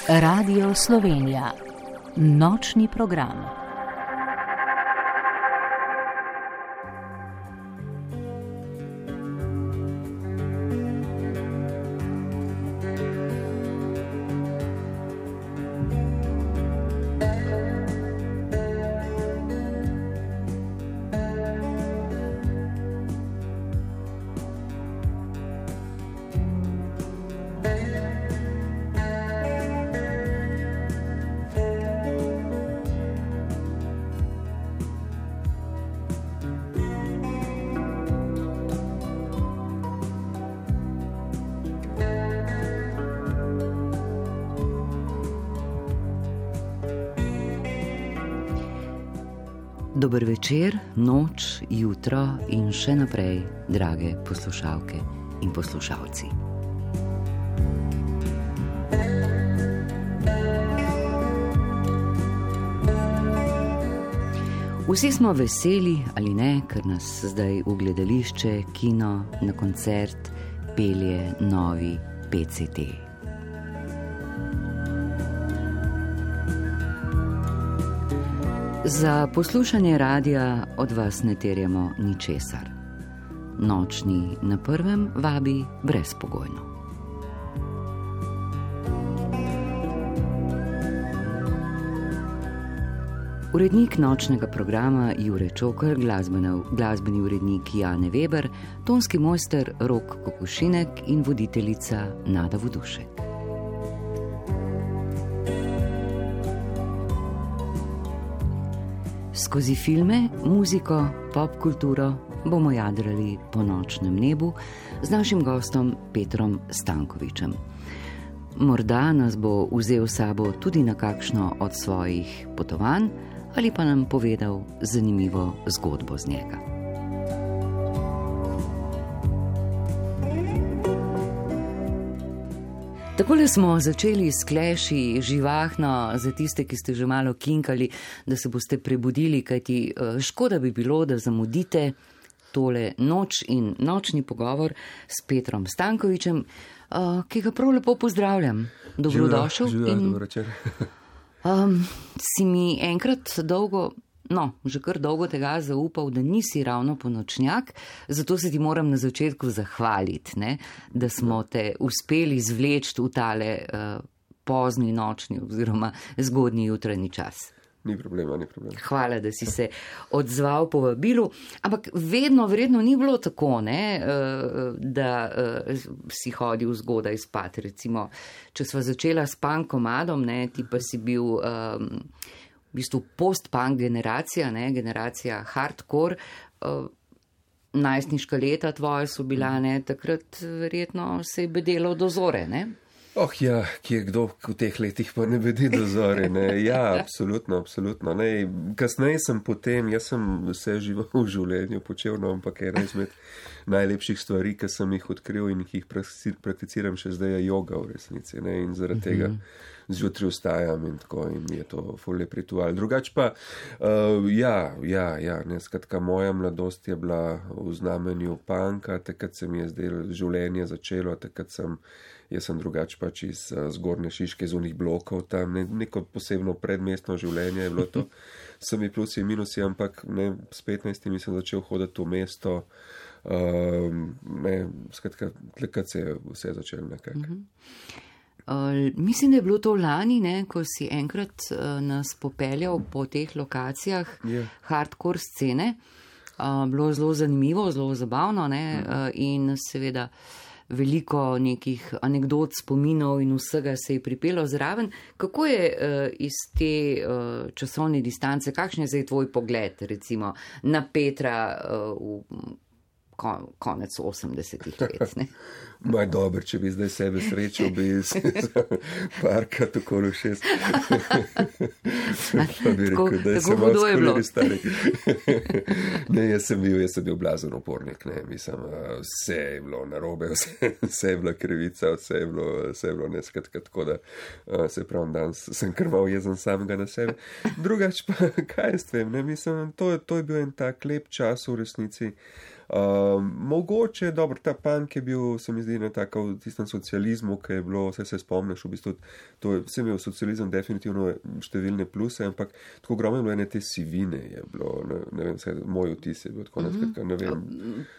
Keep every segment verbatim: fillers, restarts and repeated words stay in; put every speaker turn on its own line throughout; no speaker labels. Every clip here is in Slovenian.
Radio Slovenija. Nočni program. Dober večer, noč, jutro in še naprej, drage poslušalke in poslušalci. Vsi smo veseli ali ne, ker nas zdaj v gledališče, kino, na koncert pelje novi P C T. Za poslušanje radia od vas ne terjamo ničesar. Nočni na prvem vabi brezpogojno. Urednik nočnega programa Jure Čokr, glasbeni urednik Jane Weber, tonski mojster Rok Kokošinek in voditeljica Nada Vodušek. Skozi filme, muziko, pop kulturo bomo jadrali po nočnem nebu z našim gostom Petrom Stankovičem. Morda nas bo vzel sabo tudi na kakšno od svojih potovanj ali pa nam povedal zanimivo zgodbo z njega. Takole smo začeli s kleši živahno za tiste, ki ste že malo kinkali, da se boste prebudili, kajti škoda bi bilo, da zamudite tole noč in nočni pogovor s Petrom Stankovičem, ki ga prav lepo pozdravljam. Dobrodošel.
Živijo,
in,
dobro večer.
um, si mi enkrat dolgo... No, že kar dolgo tega zaupal, da nisi ravno ponočnjak, zato se ti moram na začetku zahvaliti, ne, da smo te uspeli zvleči v tale uh, pozni nočni oziroma zgodnji jutranji čas.
Ni problema, ni problema.
Hvala, da si se odzval po vabilu, ampak vedno vredno ni bilo tako, ne, uh, da uh, si hodil zgodaj spat. Recimo, če sva začela s punkomadom, ne, ti pa si bil... Um, v bistvu post-punk generacija, ne, generacija hardcore, uh, najstniška leta tvoje so bila, ne, takrat verjetno se je bedelo do zore, ne?
Oh ja, kje kdo v teh letih pa ne bedi do zore, ne, ja, absolutno, absolutno, ne, kasneje sem potem, jaz sem vse živo v življenju počel, no, ampak ena izmed najlepših stvari, ki sem jih odkril in jih prakticiram še zdaj, je joga v resnici, ne, in zaradi uh-huh. tega zjutraj vstajam in tako in je to ful lep ritual. Drugač pa, uh, ja, ja, ja, ne, skratka, moja mladost je bila v znamenju punka, takrat se mi je zdelo življenje začelo, takrat sem, jaz sem drugač pač iz uh, zgornje Šiške, iz unih blokov tam, ne, neko posebno predmestno življenje je bilo to, sami plusi in minusi, ampak ne, s petnajstimi sem začel hoditi v mesto, uh, ne, skratka, takrat se je vse začelo nekako.
Uh-huh. Uh, mislim, da je bilo to lani, ne, ko si enkrat uh, nas popeljal po teh lokacijah yeah. hardcore scene. Uh, bilo zelo zanimivo, zelo zabavno, ne, uh, in seveda veliko nekih anekdot, spominov in vsega se je pripelo zraven. Kako je uh, iz te uh, časovne distance, kakšen je zdaj tvoj pogled, recimo, na Petra uh, v kon, konec osemdesetih let, ne?
Maj dober, če bi zdaj sebe srečal, bi se parkrat okoli šest. Pa bi rekel, da je se malo skolili stari. Ne, jaz sem bil, jaz sem bil blazen upornik, ne, mislim, vse je bilo narobe, vse, vse je bila krivica, vse je bilo, vse je bilo neskatka, tako da se pravim, danes sem krval jezen samega na sebe. Drugač pa, kaj jaz vem, ne, mislim, to, to je bil en tak lep čas v resnici. Uh, mogoče, dobro, ta punk je bil, se mi zdi, ne tako v tistem socializmu, ki je bilo, vse se spomniš, v bistvu, to je, vse imel socializem definitivno številne pluse, ampak tako ogromno je bilo ene te sivine, je bilo, ne, ne vem, vse, moj vtis je bil tako, ne, skratka, ne vem.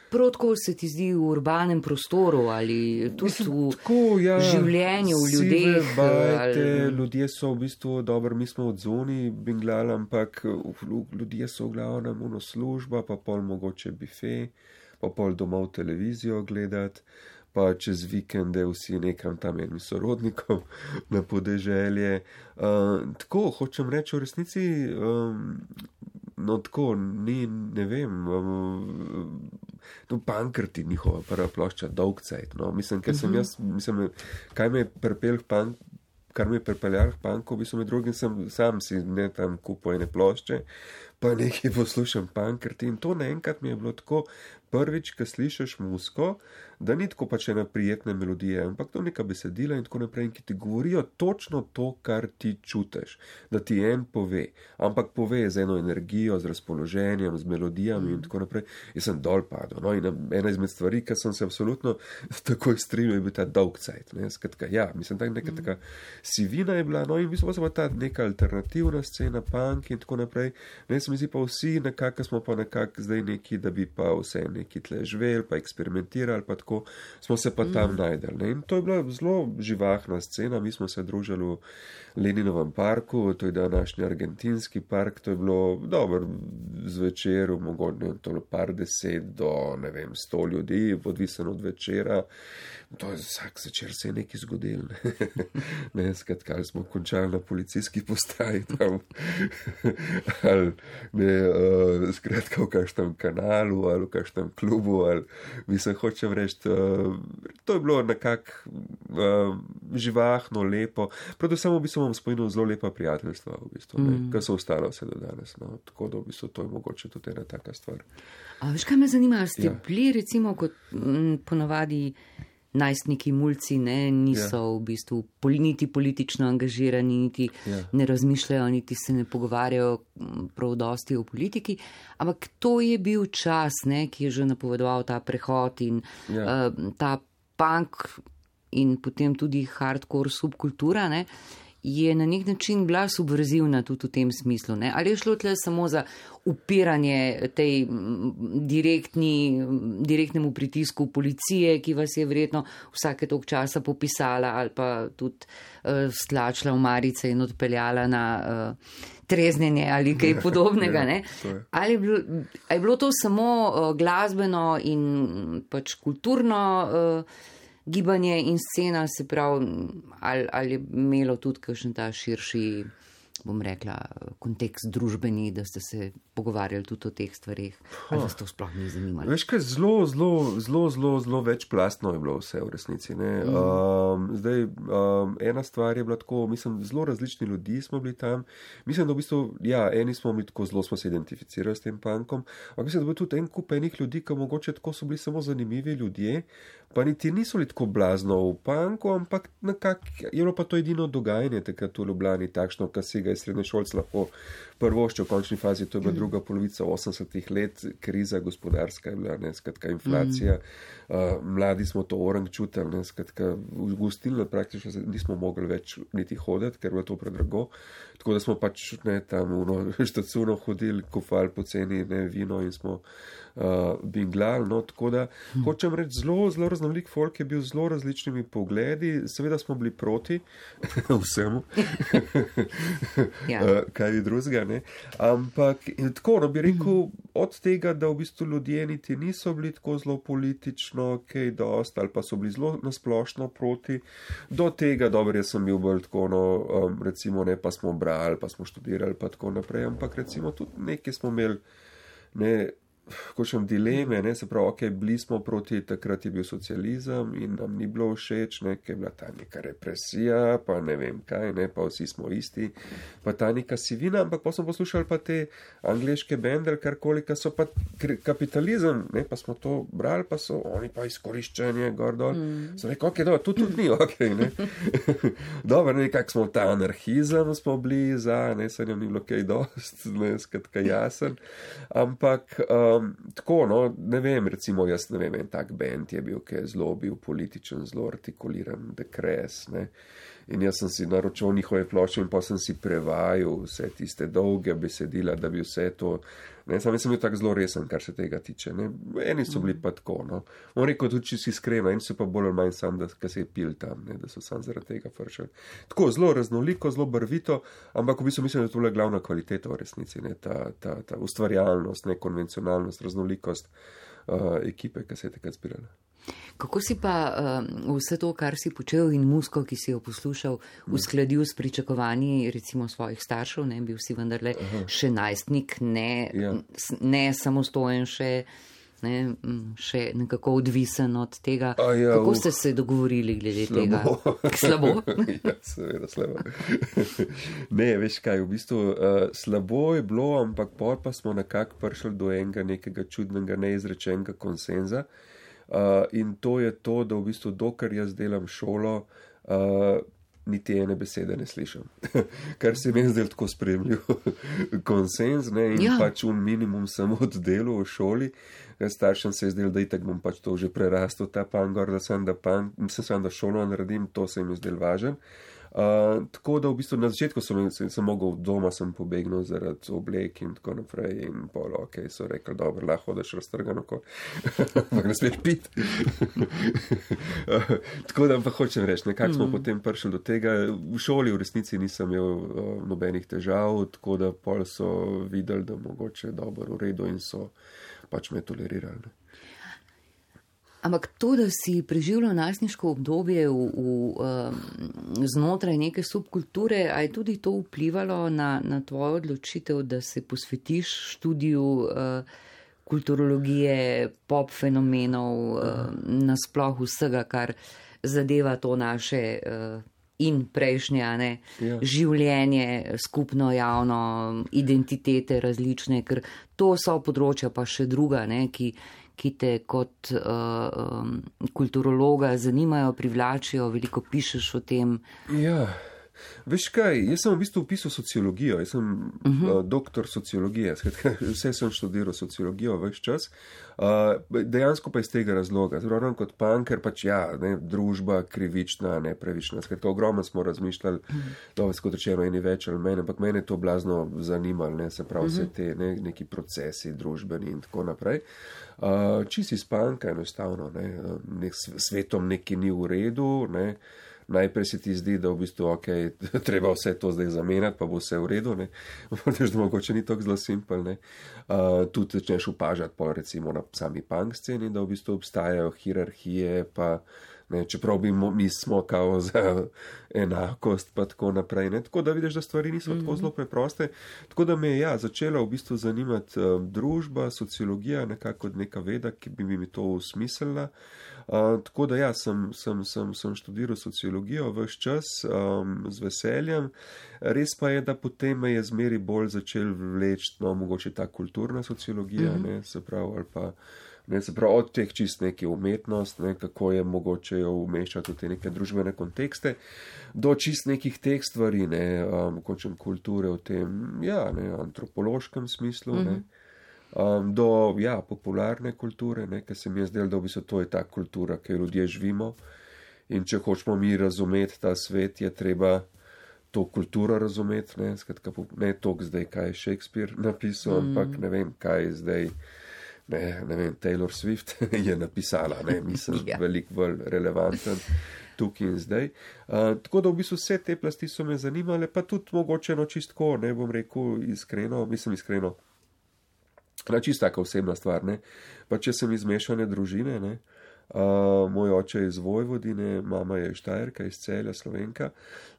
Prav tako se ti zdi v urbanem prostoru ali tudi Mislim, v tako, ja, življenju, v ljudeh.
Bajte, ali... Ljudje so v bistvu, dobro, mi smo od zoni binglali, ampak ljudje so v glavnem ono služba, pa pol mogoče bife, pa pol domov televizijo gledati, pa čez vikende vsi nekam tam enim sorodnikom na podeželje. Uh, tako, hočem reči v resnici, um, no tako, ni, ne vem, um, no, Pankrti, njihova prva plošča, dolg cajt, no, mislim, ker sem jaz, mislim, kaj me je pripel k pank, kar me je pripeljal k panku, v bistvu med drugim sem sam si ne tam kupil ene plošče, pa nekaj poslušam Pankrti in to naenkrat mi je bilo tako prvič, ko slišiš muziko, da ni tako pač ena prijetna melodija, ampak to neka besedila in tako naprej, in ki ti govorijo točno to, kar ti čutiš, da ti en pove, ampak pove z eno energijo, z razpoloženjem, z melodijami in tako naprej. Jaz sem dol padel, no, in ena izmed stvari, ki sem se absolutno takoj strinjal, je bil ta dolg cajt, ne, skratka, ja, mislim, tak neka taka sivina je bila, no, in v bistvu pa ta neka alternativna scena, punk in tako naprej, ne, se mi zdi pa vsi nekako, smo pa nekako zdaj neki, da bi pa vse neki tle živeli, pa eksperimentirali, pa tako, smo se pa tam mm. najdeli. Ne? In to je bila zelo živahna scena, mi smo se družili v Leninovem parku, to je današnji argentinski park, to je bilo dobro zvečer, mogoče to par deset do, ne vem, sto ljudi, odvisen od večera, to je vsak večer se je nekaj zgodil, ne, ne skratka, ali smo končali na policijski postaji tam, ali ne, uh, skratka v kakšnem kanalu, ali v kakšnem klubu, ali mislim, hočem reči, uh, to je bilo nekako uh, živahno, lepo, predvsem v bistvu bom spomenil zelo lepa prijateljstva, v bistvu, mm. ki so ostala vse do danes, no, tako da v bistvu to je mogoče tudi ena taka stvar.
A veš, kaj me zanima, ste ja. bili recimo kot m, ponavadi najstniki mulci, ne, niso ja. v bistvu poli, niti politično angažirani, niti ja. ne razmišljajo, niti se ne pogovarjajo prav dosti o politiki, ampak to je bil čas, ne, ki je že napovedoval ta prehod in ja. uh, ta punk in potem tudi hardcore subkultura, ne, je na nek način bila subverzivna tudi v tem smislu, ne? Ali je šlo tle samo za upiranje tej direktni, direktnemu pritisku policije, ki vas je verjetno vsake toliko časa popisala ali pa tudi uh, stlačila v marice in odpeljala na uh, treznjenje ali kaj podobnega, ne? Ali je bilo, ali je bilo to samo uh, glasbeno in pač kulturno uh, gibanje in scena, se pravi, ali, ali je imelo tudi kakšen ta širši, bom rekla, kontekst družbeni, da ste se pogovarjali tudi o teh stvarih, ali vas to sploh ni zanimalo?
Veš kaj, zelo, zelo, zelo, zelo, zelo večplastno je bilo vse v resnici, ne. Mm. Um, zdaj, um, ena stvar je bila tako, mislim, zelo različni ljudi smo bili tam, mislim, da v bistvu, ja, eni smo bili tako, zelo smo se identificirali s tem punkom, ampak mislim, da je bil tudi en kup enih ljudi, ki mogoče tako so bili samo zanimivi ljudje, pa niti niso bili tako blazno v punku, ampak nekako je bilo pa to edino dogajanje takrat v Ljubljani takšno, kar si ga je srednješolc lahko prvoščil v končni fazi, to je bila druga polovica osemdesetih let, kriza gospodarska je bila, ne, skratka inflacija, mm. uh, mladi smo to orang čutili, ne, skratka v gostilno praktično nismo mogli več niti hoditi, ker je bilo to predrago, tako da smo pač ne, tam v štacuno hodili, kofali poceni ne, vino in smo uh, binglali, no, tako da mm. hočem reči, zelo, zelo raznolik folk je bil z zelo različnimi pogledi, seveda smo bili proti vsemu, ja. uh, kaj je drugega, ne, ampak in tako, no, bi rekel, od tega, da v bistvu ljudje niti niso bili tako zelo politično, kaj dost, ali pa so bili zelo nasplošno proti, do tega, dobro, jaz sem bil bolj tako, no, um, recimo, ne, pa smo brali, pa smo študirali, pa tako naprej, ampak recimo tudi nekaj smo imeli, ne, košem dileme, ne, se pravi, ok, bili smo proti, takrat je bil socializem in nam ni bilo všeč, ne, ker je bila ta neka represija, pa ne vem kaj, ne, pa vsi smo isti, pa ta neka sivina, ampak pa smo poslušali pa te angleške bende, karkoli, ka so pa kapitalizem, ne, pa smo to brali, pa so oni pa izkoriščanje, gor dol, mm. so rekel, ok, dobro, tu tudi ni, ok, ne, dobro, nekak smo ta anarhizem smo bili za, ne, se nam ni bilo kaj dost, ne, skratka jasen, ampak, um, Um, tako, no, ne vem, recimo jaz ne vem, en tak band je bil, ki je zelo bil političen, zelo artikuliran, The Crass, ne. In jaz sem si naročil njihove plošče in pa sem si prevajal vse tiste dolge besedila, da bi vse to, ne, sam sem bil tak zelo resen, kar se tega tiče, ne. Eni so bili pa tako, no. On rekel tudi, če si iskreno, eni so pa bolj ali manj sam, da se je pil tam, ne, da so sam zaradi tega fršali. Tako, zelo raznoliko, zelo barvito, ampak v bistvu mislim, da je to le glavna kvaliteta v resnici, ne, ta, ta, ta ustvarjalnost, ne, konvencionalnost, raznolikost uh, ekipe, ki se je takrat zbirala.
Kako si pa uh, vse to, kar si počel in muziko, ki si jo poslušal, uskladil s pričakovanji recimo svojih staršev, ne, bil si vendarle Aha. še najstnik, ne, ja. ne samostojen še, ne, še nekako odvisen od tega. Ja, Kako ste se dogovorili glede slabo. tega? Slabo.
Ja, seveda slabo. Ne, veš kaj, v bistvu uh, slabo je bilo, ampak pol pa smo nekako prišli do enega nekega čudnega, neizrečenega konsenza. Uh, in to je to, da v bistvu dokler jaz delam šolo, uh, niti ene besede ne slišim. Kar se mi je zdaj tako spremljiv konsens, ne, in ja. pač un minimum sem oddelal v šoli. Staršem se je zdel, da itak bom pač to že prerastel, ta pangor, da sem da, pan, sem sem da šolo naredim, to se mi je zdel važen. Uh, tako da v bistvu na začetku sem, sem, sem mogel doma, sem pobegnil zaradi oblek in tako naprej in pol, ok, so rekli, dobro, lahko hodaš raztrgano, ampak ne smeš pit. uh, tako da pa hočem reči, nekako smo mm. potem prišli do tega, v šoli v resnici nisem imel uh, nobenih težav, tako da pol so videli, da mogoče dobro v redu in so pač me tolerirali. Ne.
Ampak to, da si preživljal najstniško obdobje v, v, um, znotraj neke subkulture, a je tudi to vplivalo na, na tvojo odločitev, da se posvetiš študiju uh, kulturologije, pop fenomenov, uh, nasploh vsega, kar zadeva to naše uh, in prejšnje ne, ja. življenje, skupno javno, identitete različne, ker to so področja pa še druga, ne, ki ki te kot uh, um, kulturologa zanimajo, privlačijo, veliko pišeš o tem.
Ja, veš kaj, jaz sem v bistvu upisal sociologijo, jaz sem uh-huh. uh, doktor sociologije, skratka, vse sem študiral sociologijo ves čas, uh, dejansko pa iz tega razloga, zelo kot punker, pač ja, ne, družba krivična, nepravična, skratka, ogromno smo razmišljali, uh-huh. dobro, kot rečeno, eni več ali mene, ampak mene je to blazno zanimalo, ne, se pravi uh-huh. vse te ne, neki procesi družbeni in tako naprej. Uh, čisi spanka enostavno, ne, nek, svetom neki ni v redu, ne, najprej se ti zdi, da v bistvu, ok, treba vse to zdaj zamenjati, pa bo vse v redu, ne, da mogoče ni tako zelo simpel, ne, uh, tudi začneš upažati pa recimo na sami punk sceni, da v bistvu obstajajo hierarhije, pa ne, čeprav bi mo, mi smo kao za enakost, pa tako naprej, ne, tako da vidiš, da stvari niso mm-hmm. tako zelo preproste, tako da me je, ja, začela v bistvu zanimati uh, družba, sociologija, nekako neka veda, ki bi mi to usmislila, uh, tako da ja, sem, sem, sem, sem študiral sociologijo ves čas um, z veseljem, res pa je, da potem me je zmeri bolj začel vleči, no, mogoče ta kulturna sociologija, mm-hmm. ne, se pravi, ali pa Ne, se pravi, od teh čist neke umetnost, ne, kako je mogoče jo umeščati v te neke družbene kontekste, do čist nekih teh stvari, ne, um, končem kulture v tem, ja, ne, antropološkem smislu, mm-hmm. ne, um, do, ja, popularne kulture, ne, ker se mi je zdelo, da v bistvu to je ta kultura, ki ljudje živimo in če hočemo mi razumeti ta svet, je treba to kulturo razumeti, ne, skratka, ne toliko zdaj, kaj je Shakespeare napisal, mm-hmm. ampak ne vem, kaj je zdaj. Ne, ne vem, Taylor Swift je napisala, ne, mislim, ja. veliko bolj relevanten tukaj in zdaj. Uh, tako da v bistvu vse te plasti so me zanimale, pa tudi mogoče no čistko, ne bom rekel iskreno, mislim iskreno, na čist taka osebna stvar, ne, pa če sem iz mešane družine, ne, Uh, moj oče je iz Vojvodine, mama je iz Štajerka, iz Celja, Slovenka,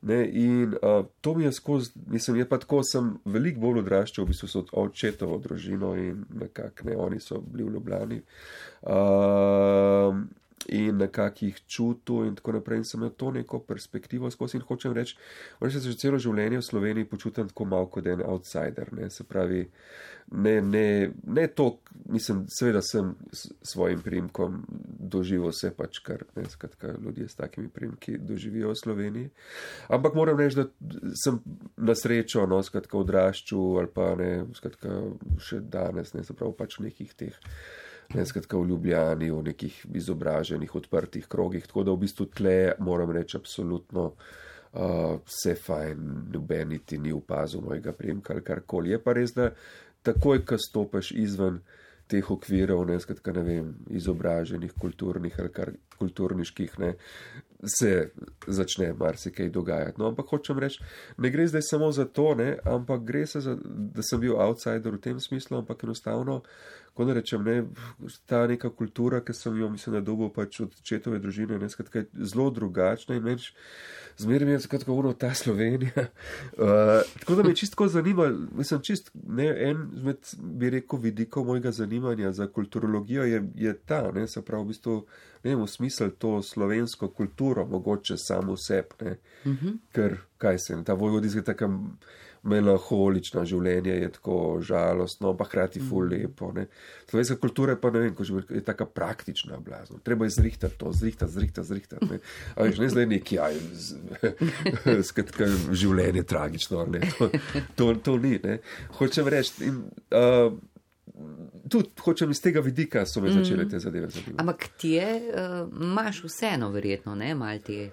ne, in uh, to mi je skozi, mislim, je pa tako, sem veliko bolj odraščal, v bistvu so očetovo družino in nekako, ne, oni so bili v Ljubljani. Uh, in nekako jih čutil in tako naprej in sem imel to neko perspektivo skozi in hočem reči, moram se že celo življenje v Sloveniji počutim tako malo kot en outsider, ne, se pravi, ne, ne, ne to, mislim, seveda sem s svojim priimkom doživel vse pač, kar, ne, skratka, ljudje s takimi priimki doživijo v Sloveniji, ampak moram reči, da sem na srečo, no, skratka, odraščal ali pa ne, skratka, še danes, ne, se pravi, pač v nekih teh, ne, skratka, v Ljubljani, v nekih izobraženih, odprtih krogih, tako da v bistvu tle, moram reči, absolutno uh, vse fajn, noben niti ni opazil mojega priimka ali karkoli. Je pa res, da takoj, ko stopiš izven teh okvirov, ne, skratka, ne vem, izobraženih, kulturnih ali kar kulturniških, ne, se začne marsikaj dogajati. No, ampak hočem reči, ne gre zdaj samo za to, ne, ampak gre se za, da sem bil outsider v tem smislu, ampak enostavno, ko ne rečem, ne, ta neka kultura, ki sem jo, mislim, da dobil pač od očetove družine, ne, skratka, zelo drugačna in več, zmeraj mi je skratka ono ta Slovenija. Uh, tako da me čisto zanima, mislim, čist, ne, en med, bi rekel, vidikov mojega zanimanja za kulturologijo je, je ta, ne, se pravi, v bistvu, ne vem, v smisel to slovensko kulturo, mogoče samo seb, ne, mm-hmm. ker, kaj se, ta vojvodinska taka melanholična življenje je tako žalostno, pa hkrati ful lepo, ne. Slovenska kultura je pa, ne vem, ko je taka praktična blazno. Treba je zrihtati to, zrihtati, zrihtati, zrihtati, ne. A veš, ne zdaj neki, aj, skratka, življenje tragično, ne, to, to, to ni, ne. Hočem reči, in, uh, tudi hočem iz tega vidika so me začele te zadeve zadevati.
Ampak ti je, uh, imaš vseeno verjetno, ne, mal te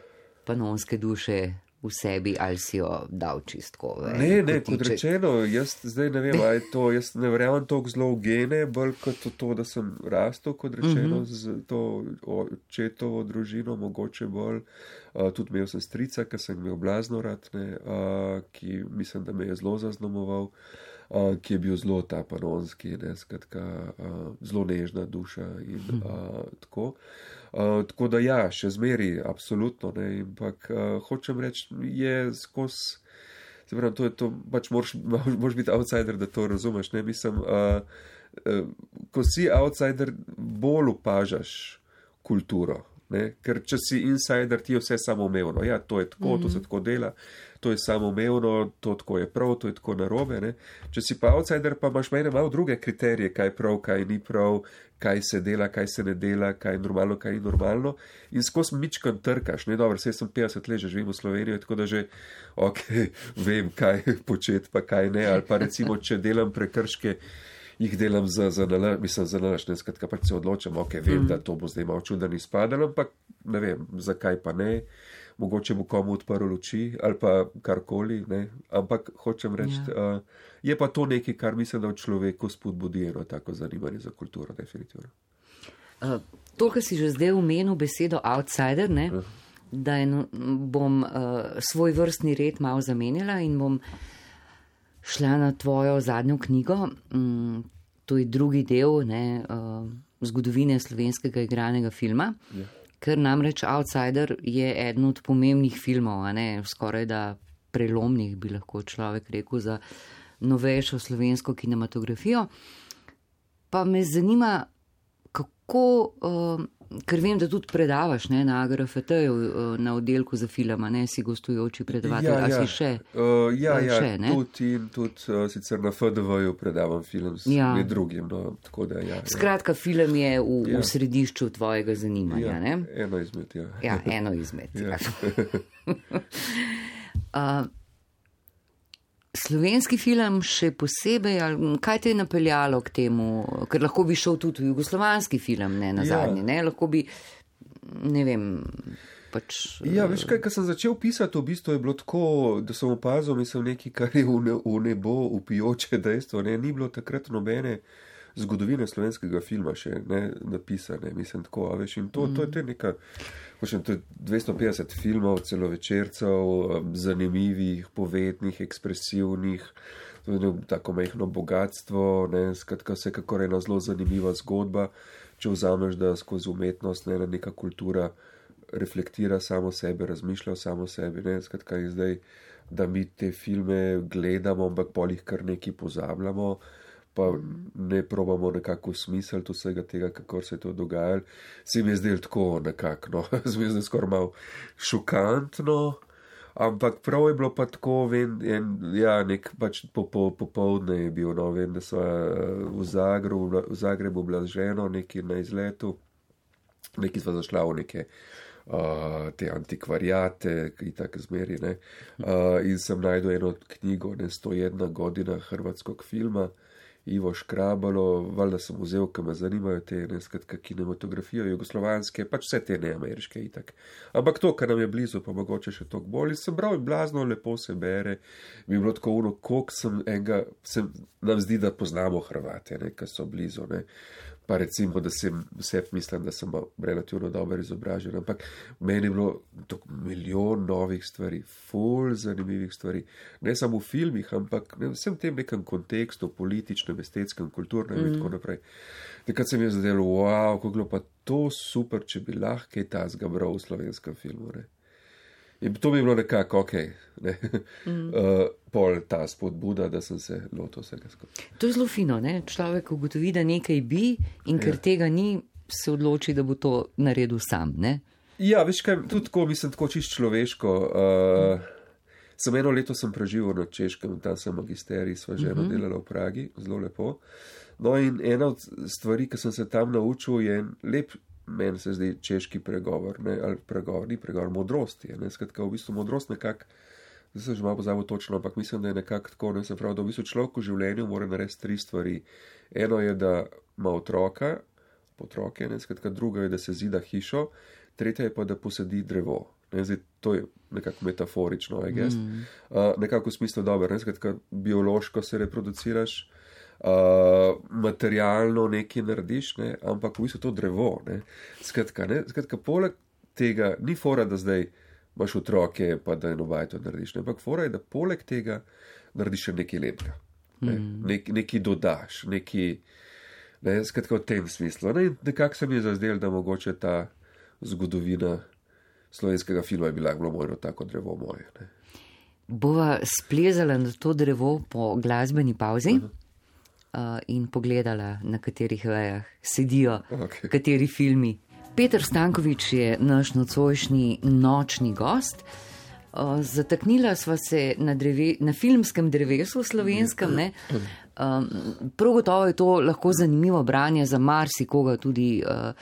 panonske duše v sebi, ali si jo dal čistko.
Ne, ne, kot rečeno, jaz zdaj ne vem, ali to, jaz ne verjamem toliko zelo v gene, bolj kot to, da sem rastel, kot rečeno, mm-hmm. z to očetovo družino, mogoče bolj, uh, tudi imel sem strica, ki sem imel blazno rad, ne, uh, ki mislim, da me je zelo zaznamoval, uh, ki je bil zelo ta panonski, ne, skratka, uh, zelo nežna duša in uh, tako. Uh, tako da ja, še zmeri, absolutno, ne, ampak uh, hočem reči, je skozi, se pravi, to je to, pač moraš, moraš biti outsider, da to razumeš, ne, mislim, uh, uh, ko si outsider, bolj opažaš kulturo, ne, ker če si insider, ti je vse samoumevno, ja, to je tako, mm-hmm. to se tako dela, to je samoumevno, to tako je prav, to je tako narobe, ne, če si pa outsider, pa imaš mene malo druge kriterije, kaj prav, kaj ni prav, kaj se dela, kaj se ne dela, kaj je normalno, kaj ni normalno in skozi mičkan trkaš, ne, dobro, saj sem petdeset let, že živim v Sloveniji, tako da že, ok, vem, kaj početi, pa kaj ne, ali pa recimo, če delam prekrške, jih delam za, za nalaž, mislim, za nalaž, ne, skratka, pač se odločam, ok, vem, mm. da to bo zdaj malo čuden izpadel, ampak ne vem, zakaj pa ne, mogoče bo komu odprl luči, ali pa karkoli, ne, ampak hočem reči, ja. uh, je pa to nekaj, kar mislim, da v človeku spodbudi eno tako zanimanje za kulturo, definitivno.
Uh, to, kar si že zdaj omenil besedo outsider, ne, uh. da eno, bom uh, svoj vrstni red malo zamenjala in bom šla na tvojo zadnjo knjigo, um, to je drugi del, ne, uh, zgodovine slovenskega igranega filma, ja. Ker namreč Outsider je eden od pomembnih filmov, a ne, skoraj da prelomnih, bi lahko človek rekel, za novejšo slovensko kinematografijo. Pa me zanima, kako, uh, ker vem, da tudi predavaš, ne, na A G R F T-ju, uh, na oddelku za filma, ne, si gostujoči predavatelj, ja, ja. A si še?
Uh, ja, ja, še, tudi in tudi uh, sicer na F D V-ju predavam film s ja. drugim, no, tako da, ja.
Skratka, ja. Film je v, ja. v središču tvojega zanimanja,
ja,
ne?
Eno izmed, ja.
Ja, eno izmed, ja. ja. uh, Slovenski film še posebej, ali kaj te je napeljalo k temu, ker lahko bi šel tudi v jugoslovanski film, ne, na zadnji, ja. ne, lahko bi, ne vem, pač...
Ja, veš kaj, ko sem začel pisati, v bistvu je bilo tako, da sem opazil, mislim, nekaj, kar je v, ne, v nebo upijoče dejstvo, ne, ni bilo takrat nobene zgodovine slovenskega filma še, ne, napisane, mislim, tako, a veš, in to, mm. to je te neka... Počem, to je dvesto petdeset filmov, celovečercev, zanimivih, povednih, ekspresivnih, tako majhno bogatstvo, ne, skratka, vsekakor ena zelo zanimiva zgodba, če vzameš, da skozi umetnost, ne, neka kultura reflektira samo sebe, razmišlja o samo sebi, ne, skratka, je zdaj, da mi te filme gledamo, ampak pol jih kar nekaj pozabljamo, pa ne probamo nekako smisliti vsega tega, kako se je to dogajalo. Se mi je zdelo tako nekako, no, se mi je zdelo skoraj malo šokantno, ampak prav je bilo pa tako, vem, en, ja, nek pač popoldne po, po je bil, no, vem, da so v Zagrebu, v Zagrebu bila z ženo neki na izletu, neki sva zašla v neke Uh, te antikvarijate, ki tako zmeri, ne. Uh, in sem najdel eno knjigo, ne, sto jedna godina hrvatskog filma, Ivo Škrabalo, valjda sem vzel, ki me zanimajo te, ne, skratka, kinematografijo, jugoslovanske, pač vse te neameriške itak. Ampak to, kar nam je blizu, pa mogoče še toliko bolj. In sem bral in blazno lepo se bere, mi je bilo tako ono, koliko sem enega, sem, nam zdi, da poznamo Hrvate, ne, ki so blizu, ne. Pa recimo, da sem vse mislim, da sem relativno dobro izobražen, ampak meni je bilo milijon novih stvari, ful zanimivih stvari, ne samo v filmih, ampak ne, vsem tem nekem kontekstu, političnem, estetskem, kulturnem mm. in tako naprej. Takrat se mi je zadelo, wow, kako bilo pa to super, če bi lahko kaj tazga bral v slovenskem filmu, ne. In to mi je bilo nekako, ok, ne, mm. uh, pol ta spodbuda, da sem se lotil vsega skupaj.
To je zelo fino, ne, človek ugotovi, da nekaj bi in ker ja. Tega ni, se odloči, da bo to naredil sam, ne.
Ja, veš kaj, tudi tako, mislim, tako čist človeško. Uh, mm. Sem eno leto sem preživel na Češkem, tam sem magisterij, sva ženo mm-hmm. delala v Pragi, zelo lepo. No in ena od stvari, ki sem se tam naučil, je lep, meni se zdi češki pregovor, ne, ali pregovor, ni pregovor, modrosti, ne, skratka, v bistvu modrost nekak, zdaj sem že malo pozabil točno, ampak mislim, da je nekako tako, ne, se pravi, da v bistvu človek v življenju mora narediti tri stvari. Eno je, da ima otroka, potroke, ne, skratka, druga je, da se zida hišo, tretja je pa, da posadi drevo. Ne, zdaj, to je nekako metaforično, I guess. Mm. Uh, nekako v smislu dobro, ne, skratka, biološko se reproduciraš, Uh, materialno nekaj narediš, ne, ampak v bistvu to drevo, ne, skratka, ne, skratka, poleg tega ni fora, da zdaj imaš otroke, pa da eno bajto narediš, ne, ampak fora je, da poleg tega narediš še nekaj lepega, ne, mm. Nek, nekaj dodaš, nekaj, ne, skratka, v tem smislu, ne, nekako se mi je zazdel, da mogoče ta zgodovina slovenskega filma je bila bilo mojno tako drevo moje, ne.
Bova splezala na to drevo po glasbeni pauzi. Aha. Uh, in pogledala, na katerih vejah sedijo, okay. Kateri filmi. Peter Stanković je naš nocojšnji nočni gost. Uh, zataknila sva se na, dreve, na filmskem drevesu slovenskem. Ne? Um, prav gotovo je to lahko zanimivo branje za marsikoga, tudi uh,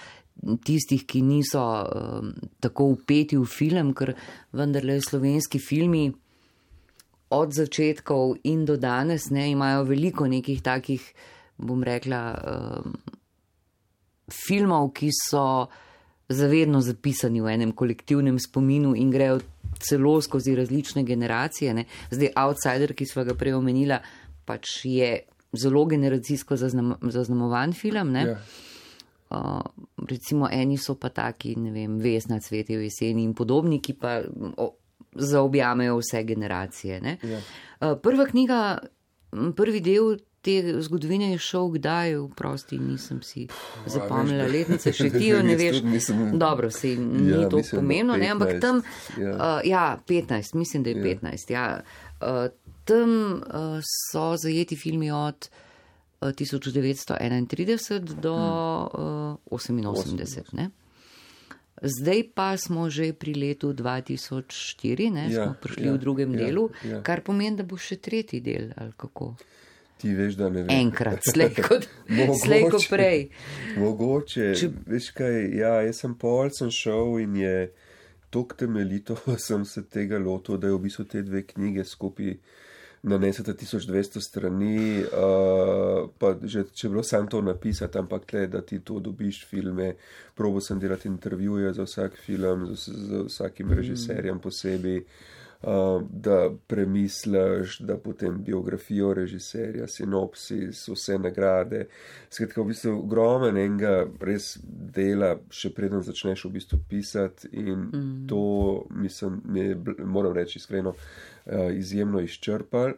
tistih, ki niso uh, tako vpeti v film, ker vendarle slovenski filmi od začetkov in do danes, ne, imajo veliko nekih takih, bom rekla, um, filmov, ki so zavedno zapisani v enem kolektivnem spominu in grejo celo skozi različne generacije, ne. Zdaj, Outsider, ki sva ga prej omenila, pač je zelo generacijsko zaznam, zaznamovan film, ne. Yeah. Uh, recimo eni so pa taki, ne vem, Vesna, Cvetje v jeseni in podobni, ki pa o, zaobjamejo vse generacije. Ne? Ja. Prva knjiga, prvi del te zgodovine je šel kdaj, vprosti, nisem si zapomnila letnice, še ti jo ne veš. Mislim, dobro, se ni ja, to pomembno, ne, ampak tam, ja. Uh, ja, petnajst, mislim, da je ja. petnajst, ja. Uh, tam uh, so zajeti filmi od uh, tisoč devetsto enaintrideset do uh, oseminosemdeset, ne. Zdaj pa smo že pri letu dva tisoč štiri, ne, ja, smo prišli ja, v drugem ja, delu, ja. Kar pomeni, da bo še tretji del, ali kako?
Ti veš, da ne vem.
Enkrat, slej kot, slej kot prej.
Mogoče, Če... veš kaj, ja, jaz sem pol, sem šel in je tok temeljito, sem se tega lotil, da je v bistvu te dve knjige skupaj nanesete tisoč dvesto strani, uh, pa že če bilo sam to napisati, ampak tle, da ti to dobiš filme, probo sem delati intervjuje za vsak film, z, z vsakim mm. režiserjem posebej, uh, da premisliš, da potem biografijo režiserja, sinopsis, vse nagrade. Skratka, v bistvu ogromen enega res dela, še preden začneš v bistvu pisati in mm. to, mislim, me, moram reči iskreno, Uh, izjemno izčrpal.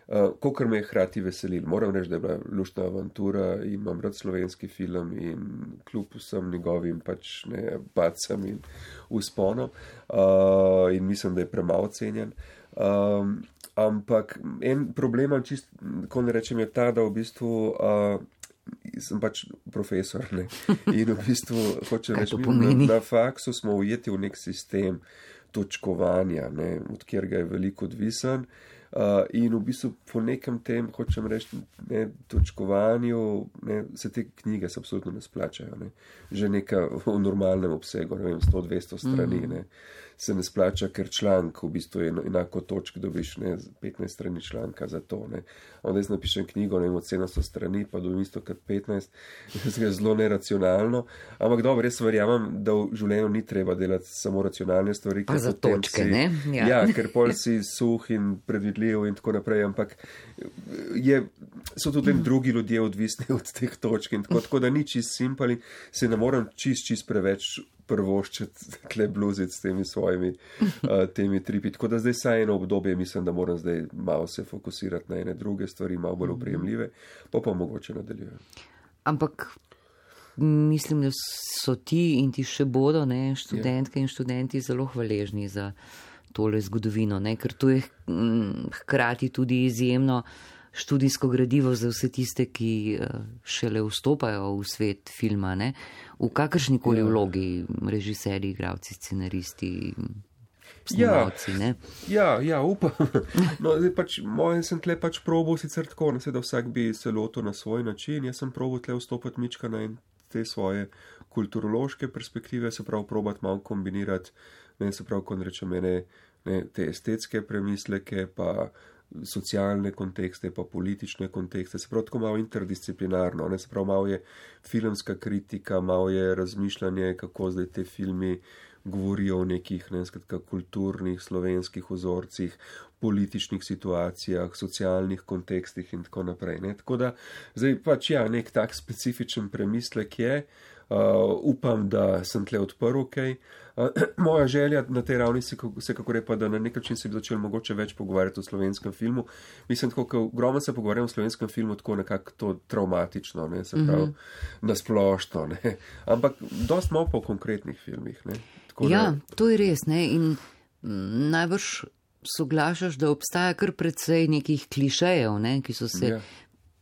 Uh, Kokor me je hkrati veselil. Moram reči, da je bila luštna avantura in imam rad slovenski film in kljub vsem njegovim pač ne pacam in usponom uh, in mislim, da je premalo cenjen. Um, ampak en problem, čist, ko ne rečem, je ta, da v bistvu uh, sem pač profesor, ne, in v bistvu hočem reči, na, na faksu smo ujeti v nek sistem točkovanja, ne, od kjer ga je veliko odvisen. Uh, in v bistvu po nekem tem, hočem reči, ne, točkovanju, ne, se te knjige se absolutno ne splačajo. Ne. Že neka v normalnem obsegu, ne vem, sto dvesto strani, mm. ne, se ne splača, ker članek v bistvu je enako točk, dobiš ne, petnajst strani članka za to. Ne. Onda jaz napišem knjigo, ne vem, od sedemsto strani, pa dobim isto kot petnajst, je zelo neracionalno. Ampak dobro, res verjamem, da v življenju ni treba delati samo racionalne stvari.
Pa za točke, si, ne?
Ja. ja, ker pol si suh in predvidljiv in tako naprej, ampak je, so tudi mm. drugi ljudje odvisni od teh točk in tako, tako da ni čist simpali, se ne moram čist, čist preveč prvoščiti tle bluziti s temi svojimi uh, temi tripi. Tako da zdaj saj eno obdobje mislim, da moram zdaj malo se fokusirati na ene druge stvari, malo bolj oprijemljive, pa pa mogoče nadaljujem.
Ampak mislim, da so ti in ti še bodo, ne, študentke yeah. in študenti zelo hvaležni za tole zgodovino, ne, ker to je hm, hkrati tudi izjemno študijsko gradivo za vse tiste, ki šele vstopajo v svet filma, ne? V kakršnikoli ja. vlogi, režiserji, igralci, scenaristi, snemalci,
ja.
ne?
Ja, ja, upam. No, zdaj pač, moj sem tle pač probal sicer tako, ne se da vsak bi se lotil na svoj način, jaz sem probal tle vstopati mička na te svoje kulturološke perspektive, se prav probati malo kombinirati, ne se prav, ko rečem, ne, ne, te estetske premisleke, pa socialne kontekste, pa politične kontekste, se prav tako malo interdisciplinarno, ne, se prav malo je filmska kritika, malo je razmišljanje, kako zdaj te filmi govorijo o nekih, ne, skratka, kulturnih, slovenskih vzorcih, političnih situacijah, socialnih kontekstih in tako naprej, ne, tako da zdaj pač ja, nek tak specifičen premislek je, uh, upam, da sem tle odprl, kaj. Okay. Uh, moja želja na tej ravni se, se kako repa, da na nek način se bi začel mogoče več pogovarjati o slovenskem filmu. Mislim, tako, ko ogromno se pogovarjam o slovenskem filmu, tako nekako to traumatično, ne, se pravi, mm-hmm. nasplošno, ne, ampak dost malo po konkretnih filmih, ne. Tako,
ja,
ne.
To je res, ne, in m, najbrž soglašaš, da obstaja kar precej nekih klišejev, ne, ki so se ja.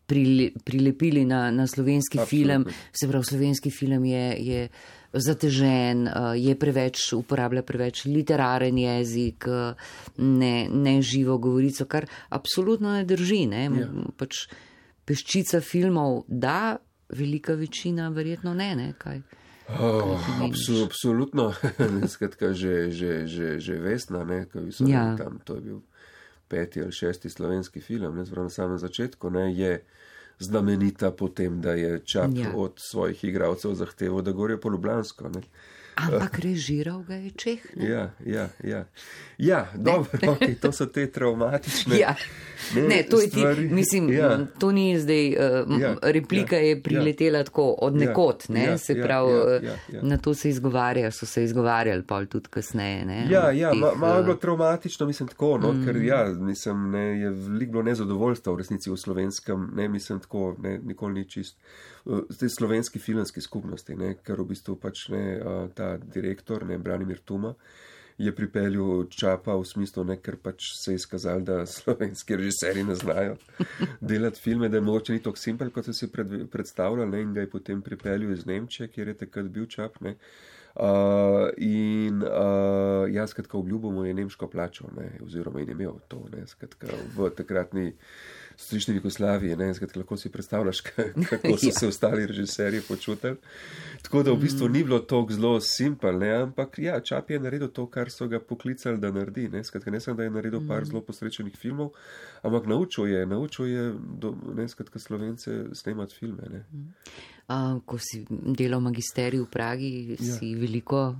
prile, prilepili na, na slovenski Absolutno. film, se pravi, slovenski film je, je zatežen, je preveč, uporablja preveč literaren jezik, ne, ne živo govorico, kar absolutno ne drži, ne, ja. pač peščica filmov da, velika večina verjetno ne, ne, kaj.
Oh, absu, absolutno, skratka, že, že, že, že Vesna, ne, ko so ja. tam, to je bil peti ali šesti slovenski film, ne, na samem začetku, ne, je znamenita po tem, da je Čap ja. od svojih igralcev zahteval, da govorijo po ljubljansko, ne.
Ampak režiral ga je Čeh, ne?
Ja, ja, ja. Ja, dobro, okay, to so te traumatične
ja. ne, ne, to je ti, mislim, ja. to ni zdaj, uh, ja, replika ja, je priletela ja. tako od nekot, ne, ja, se pravi, ja, ja, ja, ja. na to se izgovarja, so se izgovarjali pol tudi kasneje, ne.
Ja, ja, teh, ma, malo je bilo traumatični, mislim tako, no, mm. ker ja, mislim, ne, je veliko bilo nezadovoljstva v resnici v slovenskem, ne, mislim tako, ne, nikoli ni čist, zdaj slovenski filmski skupnosti, ne, ker v bistvu pač ne, ta direktor, ne, Branimir Tuma, je pripeljal Čapa v smislu, ne, ker pač se je izkazal, da slovenski režiserji ne znajo delati filme, da je mogoče ni tako simpel, kot so si pred, predstavljali, ne, in ga je potem pripeljal iz Nemčije, kjer je takrat bil Čap, ne. Uh, in uh, jaz, skratka, obljubo mu je nemško plačal, ne, oziroma in imel to, ne, skratka, v takratni strični Jugoslaviji, ne, skratka, lahko si predstavljaš, kako so se ostali režiserji počutili. Tako da v bistvu ni bilo to zelo simpel, ne, ampak ja, Čap je naredil to, kar so ga poklicali, da naredi, ne, skratka, ne sem, da je naredil par zelo posrečenih filmov, ampak naučil je, naučil je, do, ne, skratka, Slovence snemati filme, ne.
Uh, ko si delal magisterij v Pragi, ja. si veliko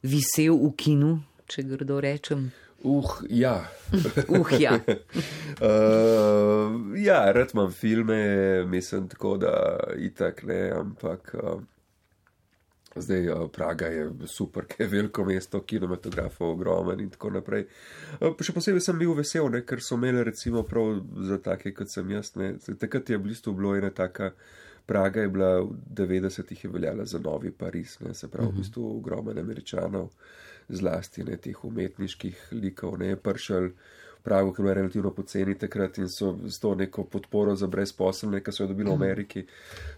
visel v kinu, če grdo rečem.
Uh, ja.
uh, ja.
uh, ja, rad imam filme, mislim tako, da itak ne, ampak uh, Zdaj, Praga je super, ker je veliko mesto, kinematografov ogromen in tako naprej. Še posebej sem bil vesel, ne, ker so imeli recimo prav za take, kot sem jaz. Ne. Takrat je v bistvu bilo ena taka, Praga je bila v devetdesetih je veljala za novi Pariz, ne, se pravi v bistvu ogromen Američanov, zlasti ne, teh umetniških likov, ne, je prišel Prago, ki je bila relativno poceni takrat in so s to neko podporo za brezposelne, ki so jo dobili v Ameriki,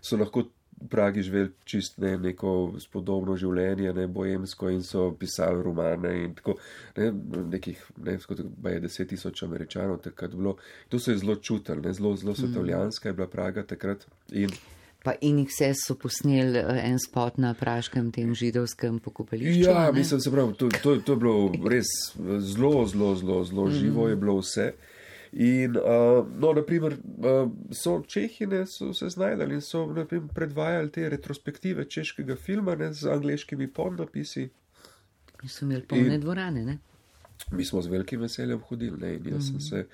so lahko v Pragi živeli čist ne, neko spodobno življenje, ne, boemsko in so pisali romane in tako, ne, nekih, ne, skoro je deset tisoč Američanov takrat bilo. To se je zelo čutili, ne, zelo, zelo svetovljanska je bila Praga takrat in
Pa in jih vse so posneli en spot na praškem tem židovskem pokopališču.
Ja, mislim, se pravi, to, to, to je bilo res zelo, zelo, zelo, zelo živo je bilo vse. In, uh, no, naprimer, uh, so Čehine so se znajdali in so, naprimer, predvajali te retrospektive češkega filma, ne, z angleškimi podnapisi.
In so imeli polne in dvorane, ne?
Mi smo z velikim veseljem hodili, ne, in jaz mm. sem se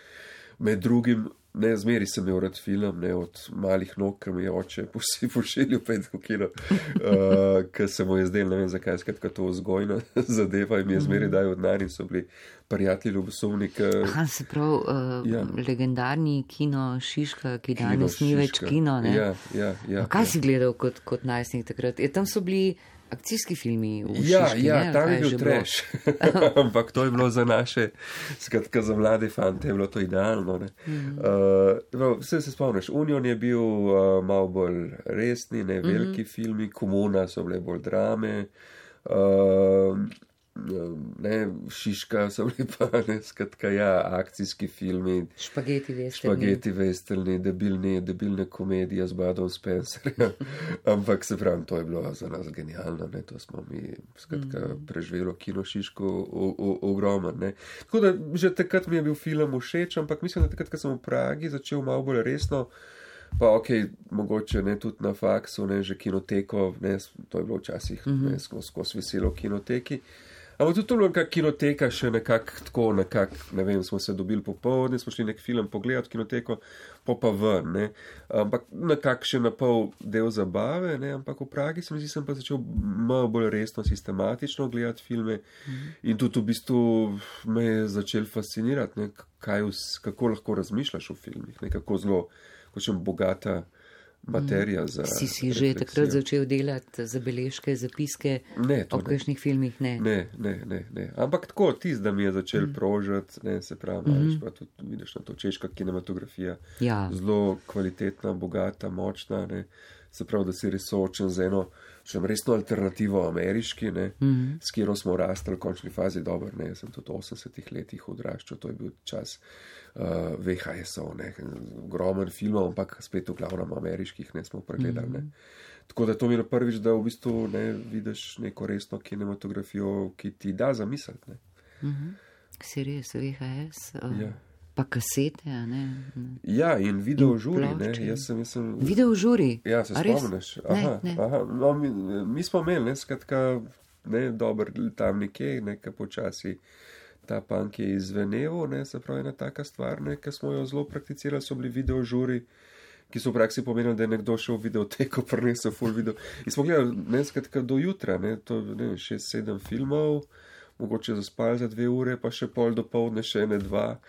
med drugim, ne, zmeri sem imel rad film, ne, od malih nog, ki mi je oče pošiljil pet v kino, uh, ker se mu je zdel, ne vem zakaj, skratka to vzgojna zadeva in mi je zmeri daj od nari, so bili prijatelji ljubosumni.
Aha, se prav, uh, ja. legendarni kino Šiška, ki kino danes ni več kino, ne?
Ja, ja, ja.
Kaj
ja.
si gledal kot, kot najstnik takrat? Je, tam so bili akcijski filmi v
ja,
Šiški,
ja,
ne?
Ja, tam je bil trash. Ampak to je bilo za naše, skratka za mlade fante, je bilo to idealno. Ne? Mm -hmm. uh, vse se spomniš, Union je bil uh, malo bolj resni, ne veliki mm -hmm. filmi, Komuna so bile bolj drame, uh, ne, Šiška so bili pa, ne, skratka, ja, akcijski filmi,
špageti vestrni,
špageti vestrni, debilne, debilne komedije z Budom Spencerjem, ampak se pravim, to je bilo za nas genialno, ne, to smo mi, skratka, mm. preživelo kino Šiško ogromen, ne. Tako da, že takrat mi je bil film všeč, ampak mislim, da takrat, ko sem v Pragi začel malo bolj resno, pa ok, mogoče ne tudi na faksu, ne, že kinoteko, ne, to je bilo včasih, mm -hmm. ne, skozi skos veselo v kinoteki. Ampak tudi to je bilo nekak kinoteka, še nekak tako, nekak, ne vem, smo se dobili popoldne, smo šli nek film pogledati kinoteko, pa pa ven, ne. Ampak nekak še na pol del zabave, ne, ampak v Pragi sem, sem pa začel malo bolj resno, sistematično gledati filme mm-hmm. in tudi v bistvu me je začel fascinirati, ne, kaj, kako lahko razmišljaš v filmih, ne, kako zelo, kočem bogata materija za
Si si že takrat začel delati zabeležke, zapiske
ne,
o kakšnih filmih? Ne.
Ne, ne, ne, ne. Ampak tako, tist, da mi je začel mm. prožati, ne, se pravi, mm -hmm. pa tudi vidiš na to češka kinematografija,
ja.
zelo kvalitetna, bogata, močna, ne, se pravi, da si res soočen z eno, še resno alternativo ameriški, ne, mm -hmm. s katero smo rastli v končni fazi, dobro, ne, jaz sem tudi v osemdesetih letih odraščal, to je bil čas uh, V H S-ov, ne, ogromen filmov, ampak spet v glavnem ameriških, ne, smo pregledali, mm -hmm. ne. Tako da to mi je prvič, da v bistvu, ne, vidiš neko resno kinematografijo, ki ti da zamisliti, ne.
Mm -hmm. Si res V H S? Uh...
Ja.
Pa kasete, a ne?
Ja, in video žuri, ne, jaz sem, jaz sem...
Video žuri?
Ja, se spomniš? Aha,
ne, ne.
aha, no, mi, mi smo imeli, ne, skratka, ne, dober tam nekje, nekaj počasi ta punk je izveneval, ne, se pravi, ena taka stvar, ne, ki smo jo zelo prakticirali, so bili video žuri, ki so v praksi pomenili, da je nekdo šel v videoteko, prinesel full video. In smo gledali, ne, skratka, do jutra, ne, to, ne, šest, sedem filmov, mogoče zaspali za dve ure, pa še pol do povdne, še ene dva,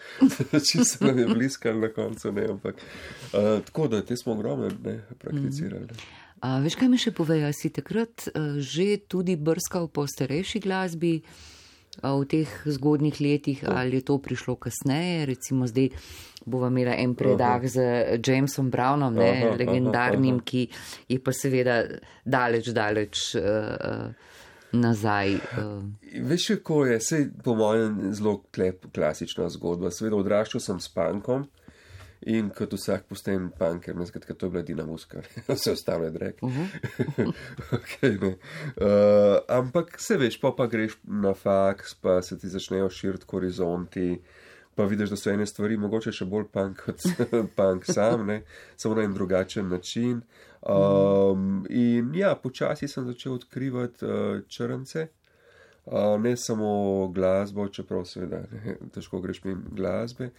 če se nam je bliskali na koncu, ne, ampak uh, tako da, te smo ogromno, ne, prakticirali. Mm.
A, veš, kaj mi še povejo, si takrat uh, že tudi brskal po starejši glasbi uh, v teh zgodnjih letih, oh. ali je to prišlo kasneje, recimo zdaj bova imela en predah aha. z Jamesom Brownom, ne, aha, legendarnim, aha, aha. ki je pa seveda daleč, daleč uh, nazaj. Uh.
Veš, kako je, sej po mojem zelo klep, klasična zgodba. Seveda odraščal sem s punkom in kot vsak postajen punker, ne, skratka, to je bila Dina Muska, vse ostalo je drek. Uh -huh. okay, uh, ampak se veš, pa pa greš na faks, pa se ti začnejo širiti horizonti, pa vidiš, da so ene stvari mogoče še bolj punk kot punk sam, ne, samo na en drugačen način. Um, in ja, počasi sem začel odkrivati uh, črnce, Uh, ne samo glasbo, čeprav seveda ne, težko greš mimo glasbe,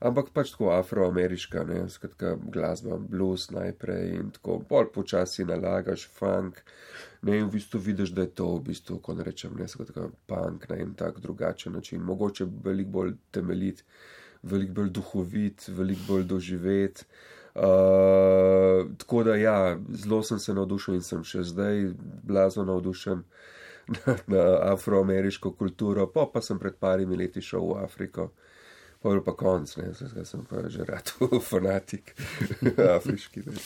ampak pač tako afroameriška, ne, skratka glasba, blues najprej in tako bolj počasi nalagaš funk, ne, in v bistvu vidiš, da je to v bistvu, ko ne rečem, ne, skratka punk na en tak drugačen način, mogoče veliko bolj temeljit, veliko bolj duhovit, veliko bolj doživet. Uh, tako da ja, zelo sem se navdušen in sem še zdaj blazno navdušen Na, na afroameriško kulturo, pa pa sem pred parimi leti šel v Afriko, pa je pa konc, ne, zdaj sem pa že rad fanatik afriški. Ne.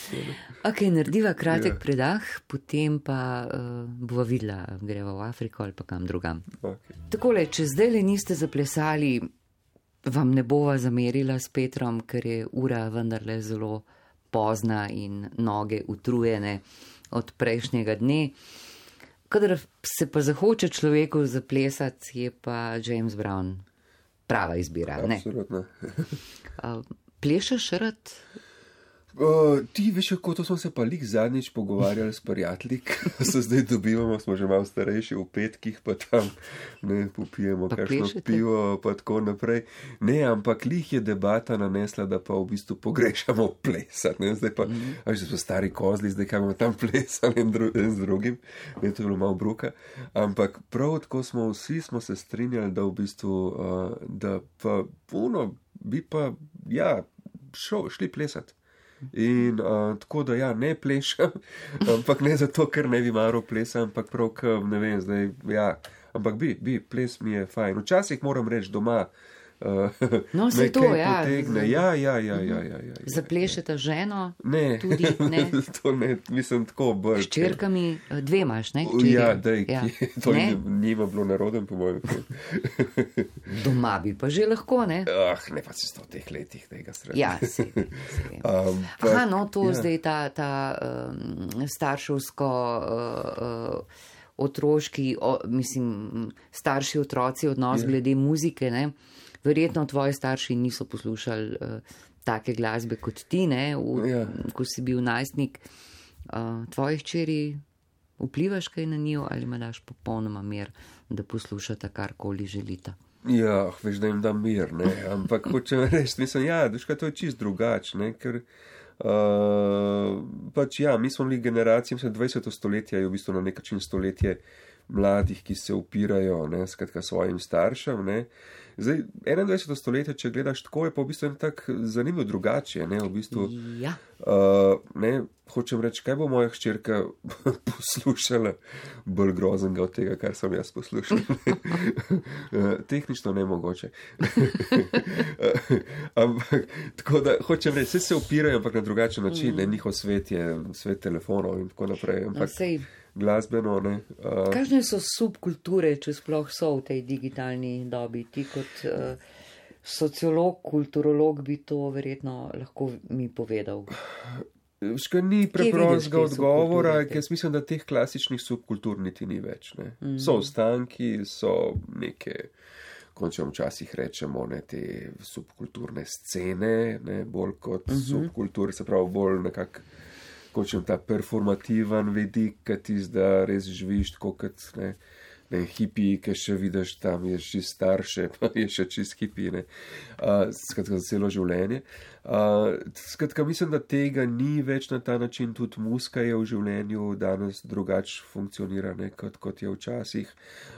Ok, narediva kratek
Ja.
predah, potem pa uh, bova videla, greva v Afriko ali pa kam drugam.
Okay.
Takole, če zdaj le niste zaplesali, vam ne bova zamerila s Petrom, ker je ura vendarle zelo pozna in noge utrujene od prejšnjega dne. Kadar se pa zahoče človeku zaplesati, je pa James Brown prava izbira.
Absolutno.
uh, plešeš rad?
Uh, ti veš, kako to smo se pa lik zadnjič pogovarjali s prijatelji, se zdaj dobivamo, smo že malo starejši v petkih, pa tam ne popijemo
Pa
kakšno
plešete?
pivo, pa tako naprej. Ne, ampak lih je debata nanesla, da pa v bistvu pogrešamo plesati. Ne? Zdaj pa, mm. a že so stari kozli, zdaj kaj bomo tam plesali en, dru, en z drugim, ne, to je bilo malo bruka. Ampak prav tako smo vsi smo se strinjali, da v bistvu, uh, da pa puno bi pa, ja, šo, šli plesati. In uh, tako da ja, ne plešam, ampak ne zato, ker ne bi maral plesa, ampak prav, ker ne vem, zdaj, ja, ampak bi, bi, ples mi je fajn. Včasih moram reči doma, uh,
No,
me
saj to,
kaj
ja.
potegne. Ja, ja, ja, ja, ja, ja, ja.
Zaplešete ženo?
Ne,
Tudi ne.
to ne, mislim tako bolj.
S čerkami, dve imaš, ne? Hčerje.
Ja, dej,
Ja.
ja. To
Ne?
njima bilo naroden, po mojem.
Doma bi pa že lahko, ne?
Ah, ne pa si sto teh letih tega sredi.
Ja, se, se.
Um,
Aha, no, to
ja.
zdaj ta, ta um, starševsko, uh, uh, otroški, o, mislim, starši otroci odnos
Ja.
glede muzike, ne? Verjetno tvoji starši niso poslušali uh, take glasbe kot ti, ne? V,
Ja.
ko si bil najstnik. Uh, tvoji hčeri vplivaš kaj na njo ali ima daš popolnoma mir, da poslušata karkoli želita?
Ja, veš, da jim da mir, ne, ampak hočem reči, mislim, ja, duška, to je čist drugač, ne, ker uh, pač ja, mi smo bili generacija, mislim, dvajseto stoletje je v bistvu na nek način stoletje mladih, ki se upirajo, ne, skratka svojim staršem, ne. Zdaj, enaindvajseto stoletje, če gledaš tako, je pa v bistvu en tak zanimiv drugače, ne, v bistvu.
Ja.
Uh, ne, hočem reči, kaj bo moja hčerka poslušala bolj groznega od tega, kar sem jaz poslušal. uh, tehnično ne mogoče. Ampak, tako da, hočem reči, vse se upirajo, ampak na drugačen način, ne, njihov svet je svet telefonov in tako naprej, ampak
Sej,
glasbeno, ne. Uh,
kakšne so subkulture, če sploh so v tej digitalni dobi? Ti kot uh, sociolog, kulturolog bi to verjetno lahko mi povedal.
Ška ni
Kje vidiš
preprostega
te
odgovora,
subkulture?
ker jaz mislim, da teh klasičnih subkultur niti ni več. Ne.
Mhm.
So ostanki, so neke, končno včasih rečemo, ne, te subkulturne scene, ne, bolj kot
Mhm.
subkulture, se pravi bolj nekak, končno ta performativen vidik, ki ti zda res živiš tako kot, ne, ne, hipi, ki še vidiš tam, je še starše, pa je še čist hipi, ne, uh, skratka za celo življenje. Uh, skratka, mislim, da tega ni več na ta način, tudi muska je v življenju danes drugače funkcionira, ne, kot, kot je včasih.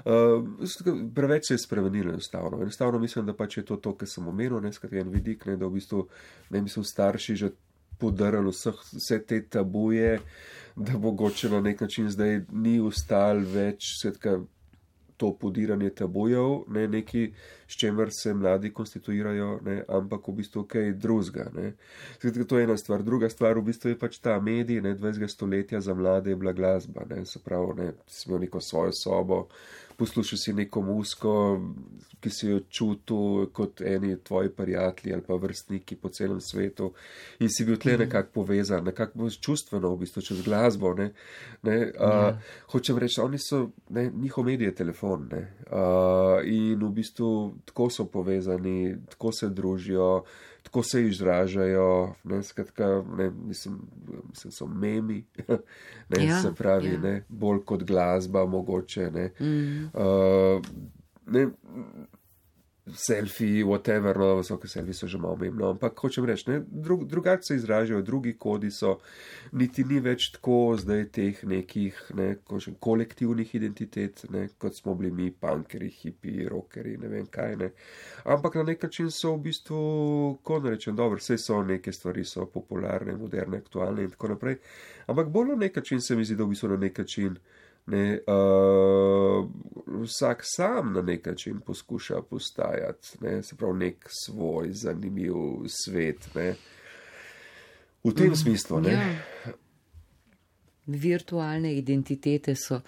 Uh, skratka, preveč se je spremenilo enostavno. Enostavno mislim, da pač je to to, kar sem omenil, ne, skratka, en vidik, ne, da v bistvu, ne, mislim, starši že podarali vseh, vse te tabuje, da mogoče na nek način zdaj ni ustal več, skratka, to podiranje tabujev, ne, neki, s čemer se mladi konstituirajo, ne, ampak v bistvu kaj drugega, ne. Skratka, to je ena stvar. Druga stvar v bistvu je pač ta medij, ne, dvajsetega stoletja za mlade je bila glasba, ne, se pravi, ne, si imel neko svojo sobo, poslušal si neko muziko, ki si jo čutil kot eni tvoji prijatelji ali pa vrstniki po celem svetu in si bil tle nekako povezan, nekako čustveno v bistvu čez glasbo, ne, ne, uh, hočem reči, oni so, ne, njihov medij je telefon, ne, uh, in v bistvu tako so povezani, tako se družijo, tako se izražajo, ne, skratka, ne, mislim, mislim, so memi, ne, ja, se pravi, ja. ne, bolj kot glasba mogoče, ne, mm. uh, ne, selfie, whatever, no, vsoke selfie so že malo memno, ampak hočem reči, ne, drug, drugače se izražajo, drugi kodi so, niti ni več tako zdaj teh nekih, ne, kožem, kolektivnih identitet, ne, kot smo bili mi, punkeri, hipi, rockeri, ne vem kaj, ne, ampak na nek način so v bistvu, ko ne rečem, dobro, vse so neke stvari, so popularne, moderne, aktualne in tako naprej, ampak bolj na nek način se mi zdi, da v bistvu na nek način Ne, uh, vsak sam na nek način poskuša postajati, ne, se pravi nek svoj zanimiv svet, ne, v tem mm, smislu. Ne.
Ja. Virtualne identitete so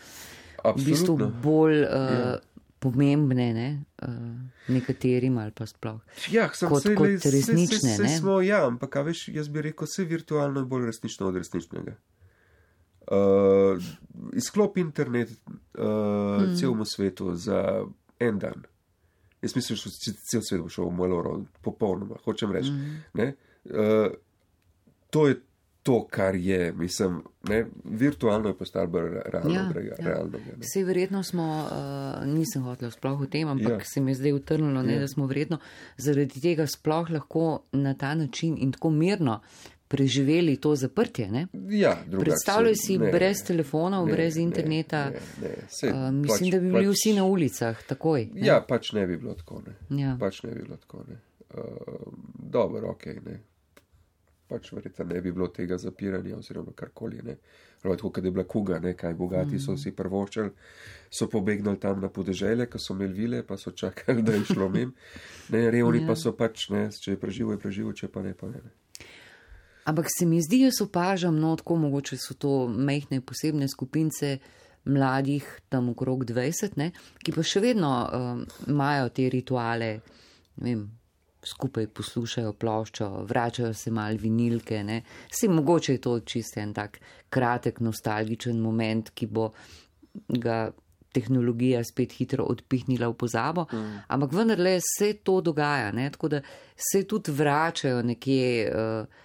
Absolutno.
v bistvu bolj uh, ja. pomembne, ne, uh, nekaterim ali pa sploh,
ja,
kot,
se,
kot
le,
resnične.
Se, se, se smo, ja, ampak veš, jaz bi rekel, vse virtualno je bolj resnično od resničnega. Uh, izklop internet uh, mm. celemu svetu za en dan. Jaz mislim, da cel svet bo šel v maloro, popolnoma, hočem reči. Mm. Ne? Uh, to je to, kar je, mislim, ne? Virtualno je postalo bolj realno.
Ja,
brega,
ja.
realno
Vse verjetno smo, uh, nisem hotel sploh o tem, ampak ja. se mi je zdaj utrnilo, ne, ja. da smo verjetno zaradi tega sploh lahko na ta način in tako mirno preživeli to zaprtje, ne?
Ja,
predstavljaj si ne, brez telefonov, ne, brez interneta, ne, ne, ne. Sej, uh, mislim, pač, da bi bili pač, vsi na ulicah, takoj. Ne?
Ja, pač ne bi bilo tako, ne.
Ja.
Pač ne bi bilo tako, ne. Uh, dobro, okej, okay, ne. Pač verjetno ne bi bilo tega zapiranja oziroma karkoli, ne. Tako, kad je bila kuga, ne, kaj bogati mm. so si prvoščali, so pobegnali tam na podeželje, ko so imeli vile, pa so čakali, da je šlo mim. Ne, revni ja. pa so pač, ne, če je preživo, je preživo, če pa ne, pa ne, ne.
Ampak se mi zdi, jaz opažam, no, tako mogoče so to majhne posebne skupince mladih, tam okrog dvajset, ne, ki pa še vedno um, imajo te rituale, ne vem, skupaj poslušajo ploščo, vračajo se mal vinilke, ne. Vsi mogoče je to čisto en tak kratek, nostalgičen moment, ki bo ga tehnologija spet hitro odpihnila v pozabo, mm. ampak vendarle se to dogaja, ne, tako da se tudi vračajo nekje uh,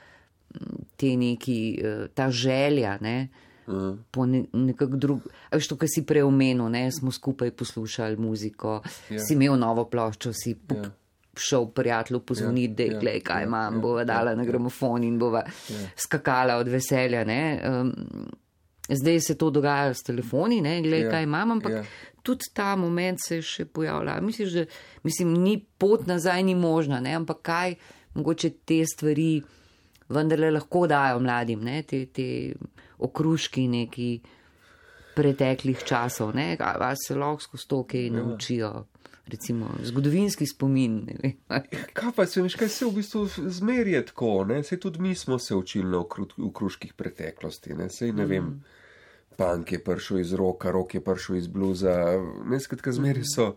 te neki, ta želja, ne, mm. po ne, nekak drug, a veš to, kar si preomenil, ne, smo skupaj poslušali muziko, yeah. si imel novo ploščo, si yeah. šel prijatelju pozvoniti, yeah. da glej, yeah. kaj imam, yeah. bova dala yeah. na gramofon in bova yeah. skakala od veselja, ne. Um, zdaj se to dogaja s telefoni, ne, glej, yeah. kaj imam, ampak yeah. tudi ta moment se še pojavlja. Misliš, da, mislim, ni pot nazaj, ni možna, ne, ampak kaj mogoče te stvari vendarle lahko dajo mladim, ne, te, te okruški neki preteklih časov, ne, a se lahko skozi to, kaj ja. naučijo, recimo zgodovinski spomin, ne vem.
Kaj pa se, veš, kaj se v bistvu zmerje tako, ne, sej tudi mi smo se učili na okruških preteklosti, ne, sej ne mm. vem, punk je prišel iz roka, rock je prišel iz bluza, ne, skratka zmeri so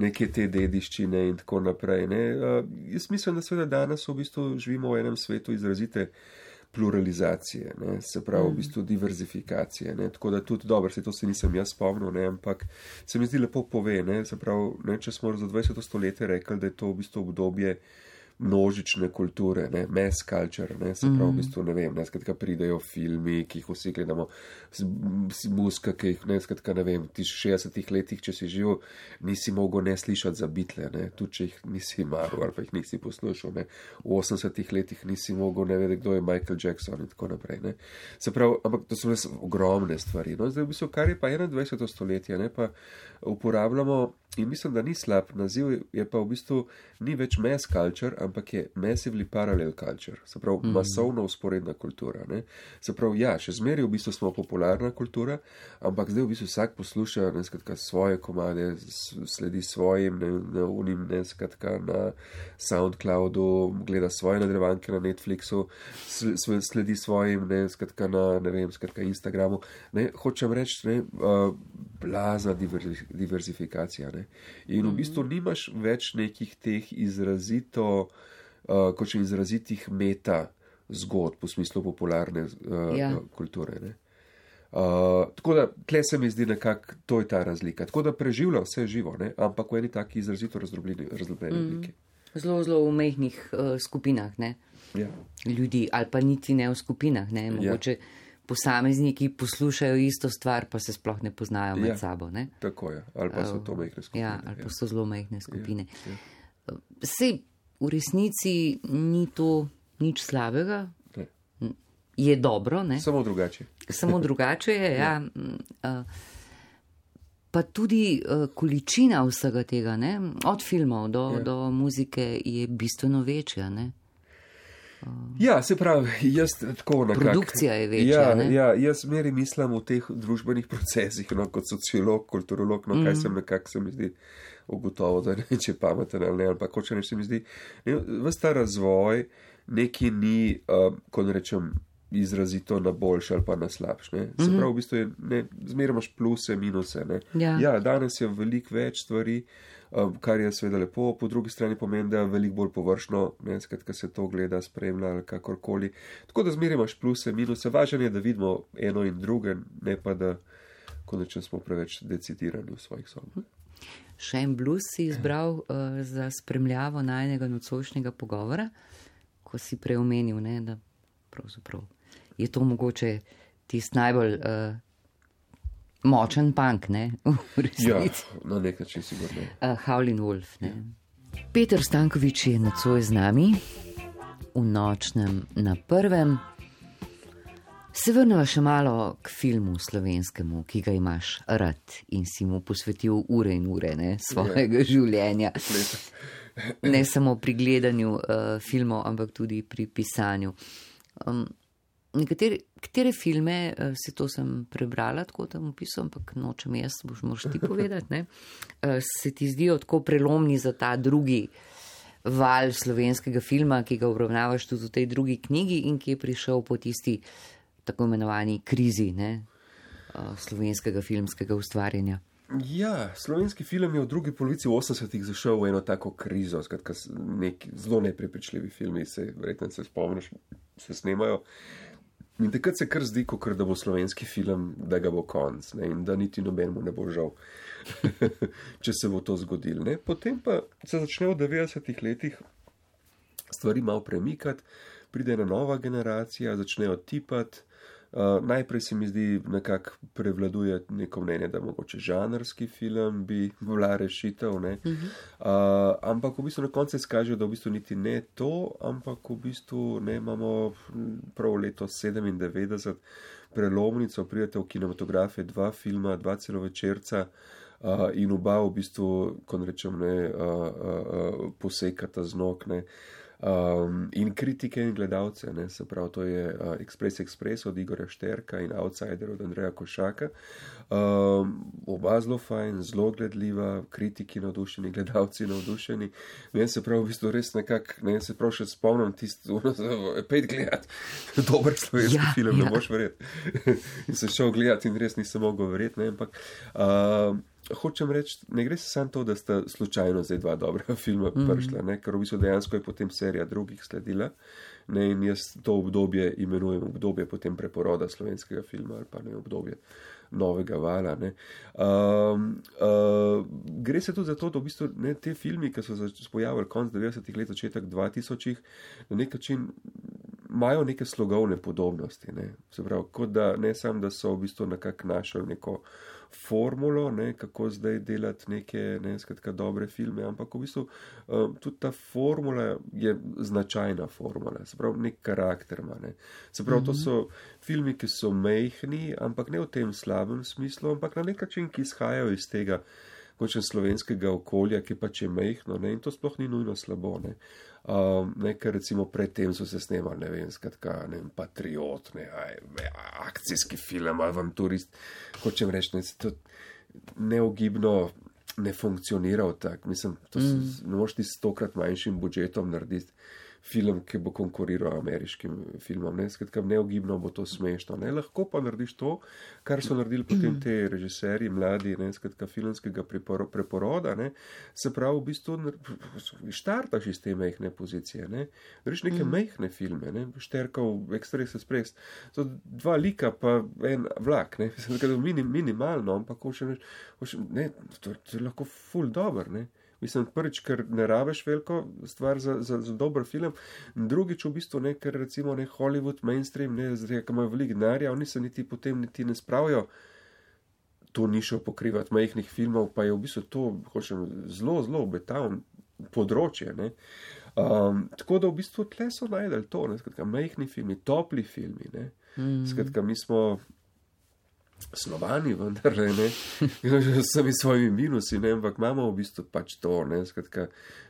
neke te dediščine in tako naprej, ne. Uh, jaz mislim, da seveda danes v bistvu živimo v enem svetu izrazite pluralizacije, ne, se pravi v bistvu diverzifikacije, ne, tako da tudi dobro, se to se nisem jaz spomnil, ne, ampak se mi zdi lepo pove, ne, se pravi, ne, če smo za dvajseto stoletje rekli, da je to v bistvu obdobje množične kulture, ne, mass culture, ne, se pravi, v bistvu, ne vem, ne, skratka, pridejo filmi, ki jih vsi gledamo, muzika, ki jih, ne, skratka, ne vem, ti šestdesetih letih, če si živel, nisi mogel ne slišati za Beatle, ne, tudi če jih nisi maral ali pa jih nisi poslušal, ne, v osemdesetih letih nisi mogel ne vedeti, kdo je Michael Jackson in tako naprej, ne, se pravi, ampak to so res ogromne stvari, no, zdaj v bistvu, kar je pa enaindvajseto stoletje, ne, pa uporabljamo in mislim, da ni slab naziv, je pa v bistvu ni več mass culture, ampak je massively parallel culture, se pravi, mm. masovno usporedna kultura, ne. Se pravi, ja, še zmeraj v bistvu smo popularna kultura, ampak zdaj v bistvu vsak posluša, ne, skratka, svoje komade, sledi svojim, ne, na unim, ne, skratka, na SoundCloudu, gleda svoje nadaljevanke na Netflixu, sledi svojim, ne, skratka, na, ne vem, skratka, Instagramu, ne, hočem reči, ne, uh, blazna diverzifikacija, ne. In v bistvu nimaš več nekih teh izrazito, uh, kot še izrazitih meta zgodb v smislu popularne uh, ja. kulture, ne. Uh, tako da, tle se mi zdi nekako, to je ta razlika. Tako da preživlja vse živo, ne? Ampak v eni taki izrazito razdrobljeni obliki.
Mm, zelo, zelo v mehkih uh, skupinah, ne?
Ja.
Ljudi, ali pa niti ne v skupinah, ne? Mogoče ja. Posamezniki poslušajo isto stvar, pa se sploh ne poznajo med
ja.
sabo, ne?
Tako je, ali pa so to mehke skupine.
Ja, ali pa
ja.
so zelo mehke skupine.
Ja. Ja.
Sej, v resnici ni to nič slabega.
Ne.
Je dobro, ne?
Samo drugače.
Samo drugače je, ja. ja. Pa tudi količina vsega tega, ne? Od filmov do, ja. do muzike je bistveno večja, ne?
Ja, se pravi, jaz tako nekako.
Produkcija je večja,
ja,
ne?
Ja, jaz meri mislim v teh družbenih procesih, no, kot sociolog, kulturolog, no, mm. kaj sem nekako se mi zdi ugotovo, da ne, če pameten ali ne, ali pa hoče neč se mi zdi. Ves ta razvoj neki ni, uh, ko ne rečem, izrazito na boljše ali pa na slabše. Se mm-hmm. pravi, v bistvu je, ne, zmeraj imaš pluse, minuse, ne. Ja. ja, danes je veliko več stvari, um, kar je seveda lepo, po drugi strani pomeni, da je veliko bolj površno, ne, skratka se to gleda, spremlja ali kakorkoli. Tako da zmeraj imaš pluse, minuse, važno je, da vidimo eno in druge, ne pa da, ko nečem smo preveč decidirani v svojih sobah.
Še en blues si izbral uh, za spremljavo najnega nocojšnjega pogovora, ko si preomenil, ne, da pravzaprav je to mogoče tisti najbolj uh, močen punk, ne, v resnici.
Ja, na nek način sigurno.
Uh, Howlin' Wolf, ne. Ja. Peter Stanković je nocoj z nami, v nočnem na prvem. Se vrneva še malo k filmu slovenskemu, ki ga imaš rad in si mu posvetil ure in ure, ne, svojega ja. življenja. Ne samo pri gledanju uh, filmov, ampak tudi pri pisanju. Um, nekatere, katere filme, uh, si to sem prebrala, tako tam opisal, ampak nočem jaz, boš moraš ti povedati, ne, uh, se ti zdijo tako prelomni za ta drugi val slovenskega filma, ki ga obravnavaš tudi v tej drugi knjigi in ki je prišel po tisti tako imenovani krizi, ne, uh, slovenskega filmskega ustvarjanja.
Ja, slovenski film je v drugi polovici osemdesetih zašel v eno tako krizo, skratka neki zelo neprepričljivi filmi, se verjetno se spomniš, se snemajo. In takrat se kar zdi, kot da bo slovenski film, da ga bo konc, ne, in da niti nobenemu ne bo žal, če se bo to zgodilo. Ne. Potem pa se začne v devetdesetih letih stvari malo premikati, pride ena nova generacija, začnejo tipati. Uh, najprej se mi zdi nekako prevladuje neko mnenje, da mogoče žanrski film bi bila rešitev, ne. Uh-huh. Uh, ampak v bistvu na koncu se skaže, da v bistvu niti ne to, ampak v bistvu ne imamo prav leto sedemindevetdeset prelomnico, pridete v kinematografije dva filma, dva celovečerca uh, in oba v bistvu, ko rečem, ne, uh, uh, uh, posekata z nog, ne. Um, in kritike in gledalce, ne, se pravi, to je uh, Express Express od Igorja Šterka in Outsider od Andreja Košaka. Um, oba zelo fajn, zelo gledljiva, kritiki navdušeni, gledalci navdušeni. Ne, se pravi, v bistvu res nekak, ne, se pravi, še spomnim tisto, pet gledati, dober slovenski ja, film, ja. Ne boš verjeti. In se šel gledati in res nisem mogel verjeti, ne, ampak uh, hočem reči, ne gre se samo to, da sta slučajno zdaj dva dobra filma prišla, ne, ker v bistvu dejansko je potem serija drugih sledila, ne, in jaz to obdobje imenujem obdobje potem preporoda slovenskega filma ali pa ne obdobje novega vala, ne. Um, uh, gre se tudi za to, da v bistvu ne, te filmi, ki so se pojavili konc devetdesetih let, začetek dvatisočih, na nek način imajo neke slogovne podobnosti, ne. Se pravi, kot da ne samo, da so v bistvu nekako našli neko formulo, ne, kako zdaj delati neke, ne, skratka, dobre filme, ampak v bistvu um, tudi ta formula je značajna formula, se pravi, nek karakter ima, ne. Se pravi, mm-hmm. to so filmi, ki so mejhni, ampak ne v tem slabem smislu, ampak na nek način, ki izhajajo iz tega končen slovenskega okolja, ki pač je mejhno, ne, in to sploh ni nujno slabo, ne. Um, ne, ker recimo predtem so se snemali, ne vem, skratka, ne vem, Patriot, ne, aj, akcijski film, avanturist, hočem reči, ne, to neogibno ne funkcioniral tak, mislim, to mm. se, ne moš ti stokrat manjšim budžetom narediti film, ki bo konkuriral ameriškim filmom. Ne? Skratka, neogibno bo to smešno. Ne? Lahko pa narediš to, kar so naredili potem te režiserji, mladi, ne? Skratka, filmskega preporo, preporoda. Ne? Se pravi, v bistvu štartaš iz te mehne pozicije. Ne? Reš neke mm. mehne filme, ne? Šterkov, Express Express. To dva lika pa en vlak. Ne? Skratka, minim, minimalno, ampak hoče, hoče, ne, to, to je lahko ful dober, ne. Mislim, prvič, ker ne rabeš veliko stvar za, za, za dober film, drugič v bistvu ne, ker recimo ne Hollywood, mainstream, ne, zdaj, ki imajo veliko denarja, oni se niti potem niti ne spravijo to nišo pokrivati majhnih filmov, pa je v bistvu to, hočem, zelo, zelo obetavno področje, ne. Um, tako da v bistvu tle so najdeli to, ne, skratka, majhni filmi, topli filmi, ne, mm. skratka, mi smo Slovani, vendar, ne, z vsemi svojimi minusi, ne, ampak imamo v bistvu pač to, ne, skratka,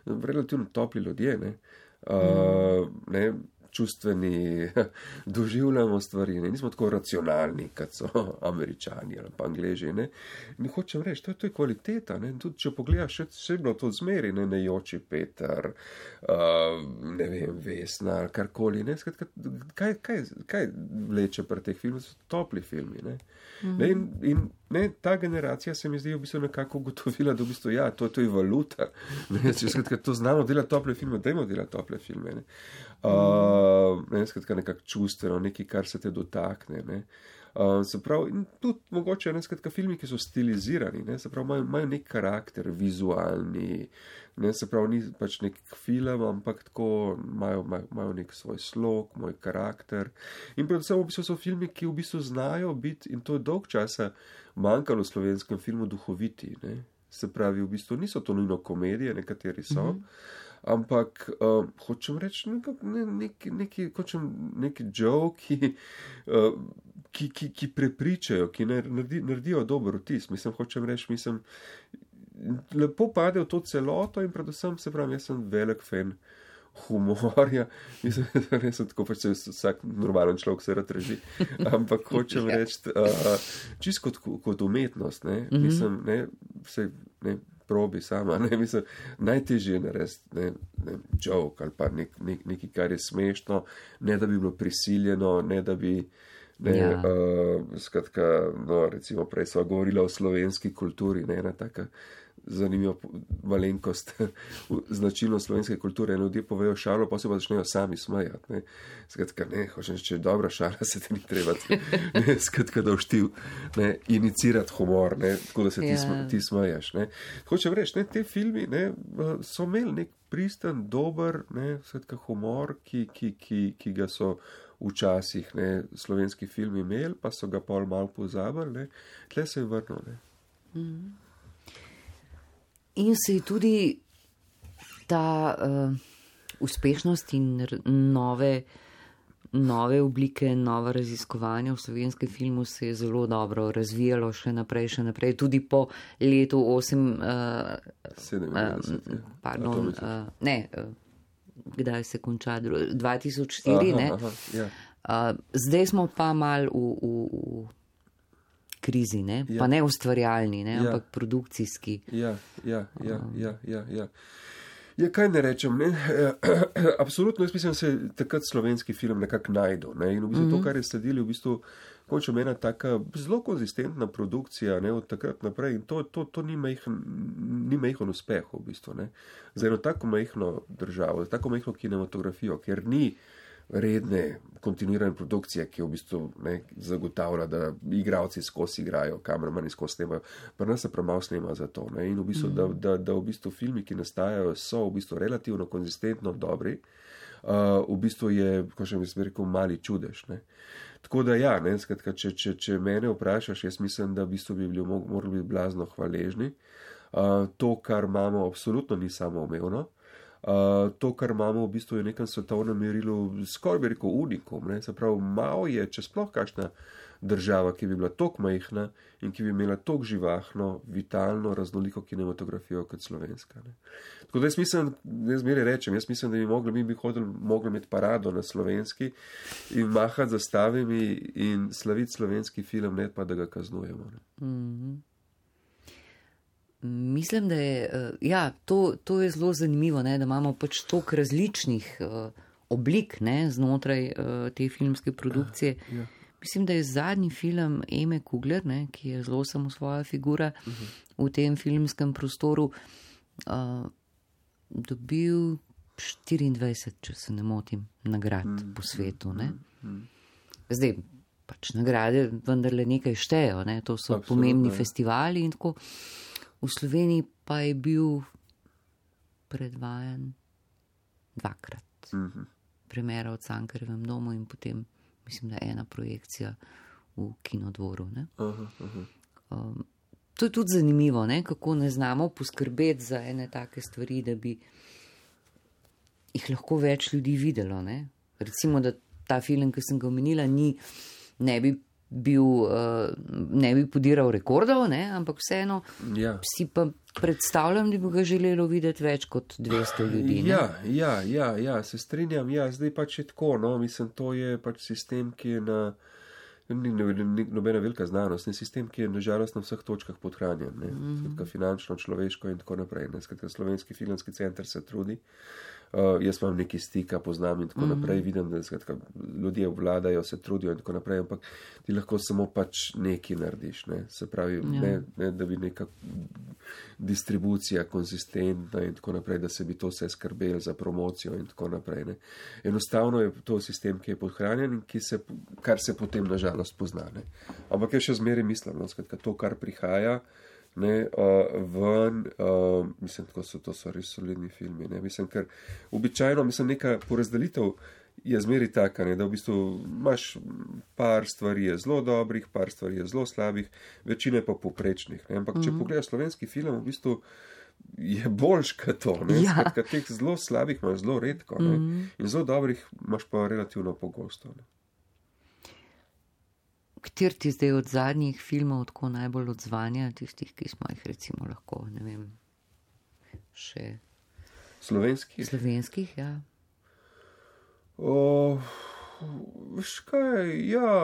relativno topli ljudje, ne, uh, ne, čustveni, doživljamo stvari, ne, nismo tako racionalni, kot so Američani ali pa Angleži, ne, in hočem reči, to je, to je kvaliteta, ne, tudi če pogledaš, še, še bilo to zmeri, ne, Nejoči Peter, uh, ne vem, Vesna, karkoli, ne, skratka, kaj, kaj, kaj vleče pri teh filmih, so topli filmi, ne, mm-hmm. ne, in, in ne, ta generacija se mi zdi v bistvu nekako ugotovila, da v bistvu, ja, to, to je valuta, ne, skratka, to znamo delati tople filme, dajmo delati tople filme, ne, uh, ne, skratka, nekako čustveno, nekaj, kar se te dotakne, ne. Uh, se pravi, in tudi mogoče, ne, skratka, filmi, ki so stilizirani, ne, se pravi, imajo, imajo nek karakter, vizualni, ne, se pravi, ni pač nek film, ampak tako imajo, imajo, imajo nek svoj slog, moj karakter. In predvsem v bistvu so filmi, ki v bistvu znajo biti, in to je dolg časa manjkalo v slovenskem filmu, duhoviti, ne. Se pravi, v bistvu niso to nujno komedije, nekateri so, mm-hmm. ampak uh, hočem reči ne, neki, neki, hočem neki joke, uh, ki, ki, ki prepričajo, ki naredi, naredijo dober vtis. Mislim, hočem reči, mislim, lepo pade v to celoto in predvsem, se pravi, jaz sem velik fan humorja, mislim, da ne sem tako, pač se vsak normalen človek se rad reži, ampak hočem reči, uh, čisto kot, kot umetnost, ne, mm-hmm. mislim, ne, vse, ne, probi sama, ne, mislim, najtežje je narediti, ne, ne, joke ali pa nek, nek, nekaj, kar je smešno, ne da bi bilo prisiljeno, ne da bi, ne, ja. uh, skratka, no, recimo prej sva govorila o slovenski kulturi, ne, ena taka zanimiva malenkost, značilnost slovenske kulture, in ljudje povejo šalo, pa se pa začnejo sami smejati, ne, skratka, ne, hočem, če je dobra šala, se te ni treba, ne, skratka, da všti, ne, inicirati humor, ne, tako da se ti, yeah. ti smejaš, ne. Hočem reči, ne, te filmi, ne, so imeli nek pristen, dober, ne, skratka, humor, ki, ki, ki, ki ga so včasih, ne, slovenski filmi imeli, pa so ga pol malo pozabili, ne, tle se je vrnil, ne.
Mm. In se je tudi ta uh, uspešnost in nove, nove oblike, nova raziskovanja v slovenskem filmu se je zelo dobro razvijalo še naprej, še naprej, tudi po letu osem, uh,
sedemdeset,
uh, pardon, uh, ne, uh, kdaj se konča, dva tisoč štiri, aha, ne? Aha, ja. uh, zdaj smo pa mal v, v, v krizi, ne? Ja. Pa ne ustvarjalni, ne? Ja. Ampak produkcijski.
Ja, ja, ja, ja, ja, ja. Ja, kaj ne rečem, ne? Absolutno, jaz mislim, da se takrat slovenski film nekako najdel, ne? In v bistvu mm-hmm. to, kar je sledili, v bistvu končem ena taka zelo konzistentna produkcija, ne, od takrat naprej, in to, to, to ni majhen, ni majhen uspeh v bistvu, ne. Za eno tako majhno državo, za tako majhno kinematografijo, ker ni redne, kontinuirane produkcije, ki v bistvu, ne, zagotavlja, da igralci skozi igrajo, kameramani skozi snemajo, pa nas se premalo snema za to, ne, in v bistvu, mm. da, da, da v bistvu filmi, ki nastajajo, so v bistvu relativno konzistentno dobri, uh, v bistvu je, ko še mi sem rekel, mali čudež, ne. Tako da ja, ne, skratka, če, če, če mene vprašaš, jaz mislim, da v bistvu bi bili, morali biti blazno hvaležni. Uh, to, kar imamo, absolutno ni samoumevno. Uh, to, kar imamo v bistvu je v nekem svetovnem merilu, skoraj bi rekel unikum, ne, se pravi, malo je, če sploh kakšna država, ki bi bila toliko majhna in ki bi imela toliko živahno, vitalno, raznoliko kinematografijo kot slovenska, ne. Tako da jaz mislim, jaz zmeraj rečem, jaz mislim, da bi mogli, mi bi hodili, mogli imeti parado na slovenski in mahati zastavami in slaviti slovenski film, ne pa, da ga kaznujemo, ne.
Mm-hmm. Mislim, da je, ja, to, to je zelo zanimivo, ne, da imamo pač toliko različnih uh, oblik, ne, znotraj uh, te filmske produkcije.
Ja, ja.
Mislim, da je zadnji film Eme Kugler, ne, ki je zelo samosvoja figura uh-huh. v tem filmskem prostoru, uh, dobil štiriindvajset, če se ne motim, nagrad mm, po svetu. Ne. Mm, mm. Zdaj, pač nagrade vendarle nekaj štejo, ne, to so Absolutno, pomembni je. festivali in tako. V Sloveniji pa je bil predvajan dvakrat. Mm-hmm. Premjera v Cankarjevem domu in potem, mislim, da je ena projekcija v Kinodvoru. Ne. Aha, aha. Um, to je tudi zanimivo, ne, kako ne znamo poskrbeti za ene take stvari, da bi jih lahko več ljudi videlo. Ne. Recimo, da ta film, ki sem ga omenila, ni, ne bi bil, uh, ne bi podiral rekordov, ne, ampak vseeno ja. si pa predstavljam, da bi ga želelo videti več kot dvesto ljudi. Ne?
Ja, ja, ja, ja, se strinjam, ja, zdaj pač je tako, no, mislim, to je pač sistem, ki je na, ni, ni nobena velika znanost, ne, sistem, ki je nažalost na vseh točkah podhranjen, ne, mm-hmm. skratka finančno, človeško in tako naprej, ne, skratka Slovenski filmski center se trudi. Uh, jaz imam neki stika, poznam in tako mm-hmm. naprej, vidim, da skratka, ljudje obvladajo, se trudijo in tako naprej, ampak ti lahko samo pač nekaj narediš, ne? Se pravi, ja. ne, ne, da bi neka distribucija konsistentna in tako naprej, da se bi to vse skrbelo za promocijo in tako naprej. Ne? Enostavno je to sistem, ki je podhranjen in ki se, kar se potem nažalost pozna. Ne? Ampak jaz še zmeraj mislim, no? Skratka, to, kar prihaja, ne, uh, ven, uh, mislim, tako so, to so res solidni filmi, ne, mislim, ker običajno, mislim, neka porazdelitev je zmeri taka, ne, da v bistvu imaš par stvari je zelo dobrih, par stvari je zelo slabih, večina je pa poprečnih, ne, ampak mm-hmm. če pogledaš slovenski film, v bistvu je boljš kot to, ne, ja. Skratka, teh zelo slabih imaš zelo redko, ne, mm-hmm. in zelo dobrih imaš pa relativno pogosto, ne.
Kjer ti zdaj od zadnjih filmov tako najbolj odzvanja, tistih, ki smo jih recimo lahko, ne vem, še...
Slovenskih?
Slovenskih, ja.
O, veš kaj, ja,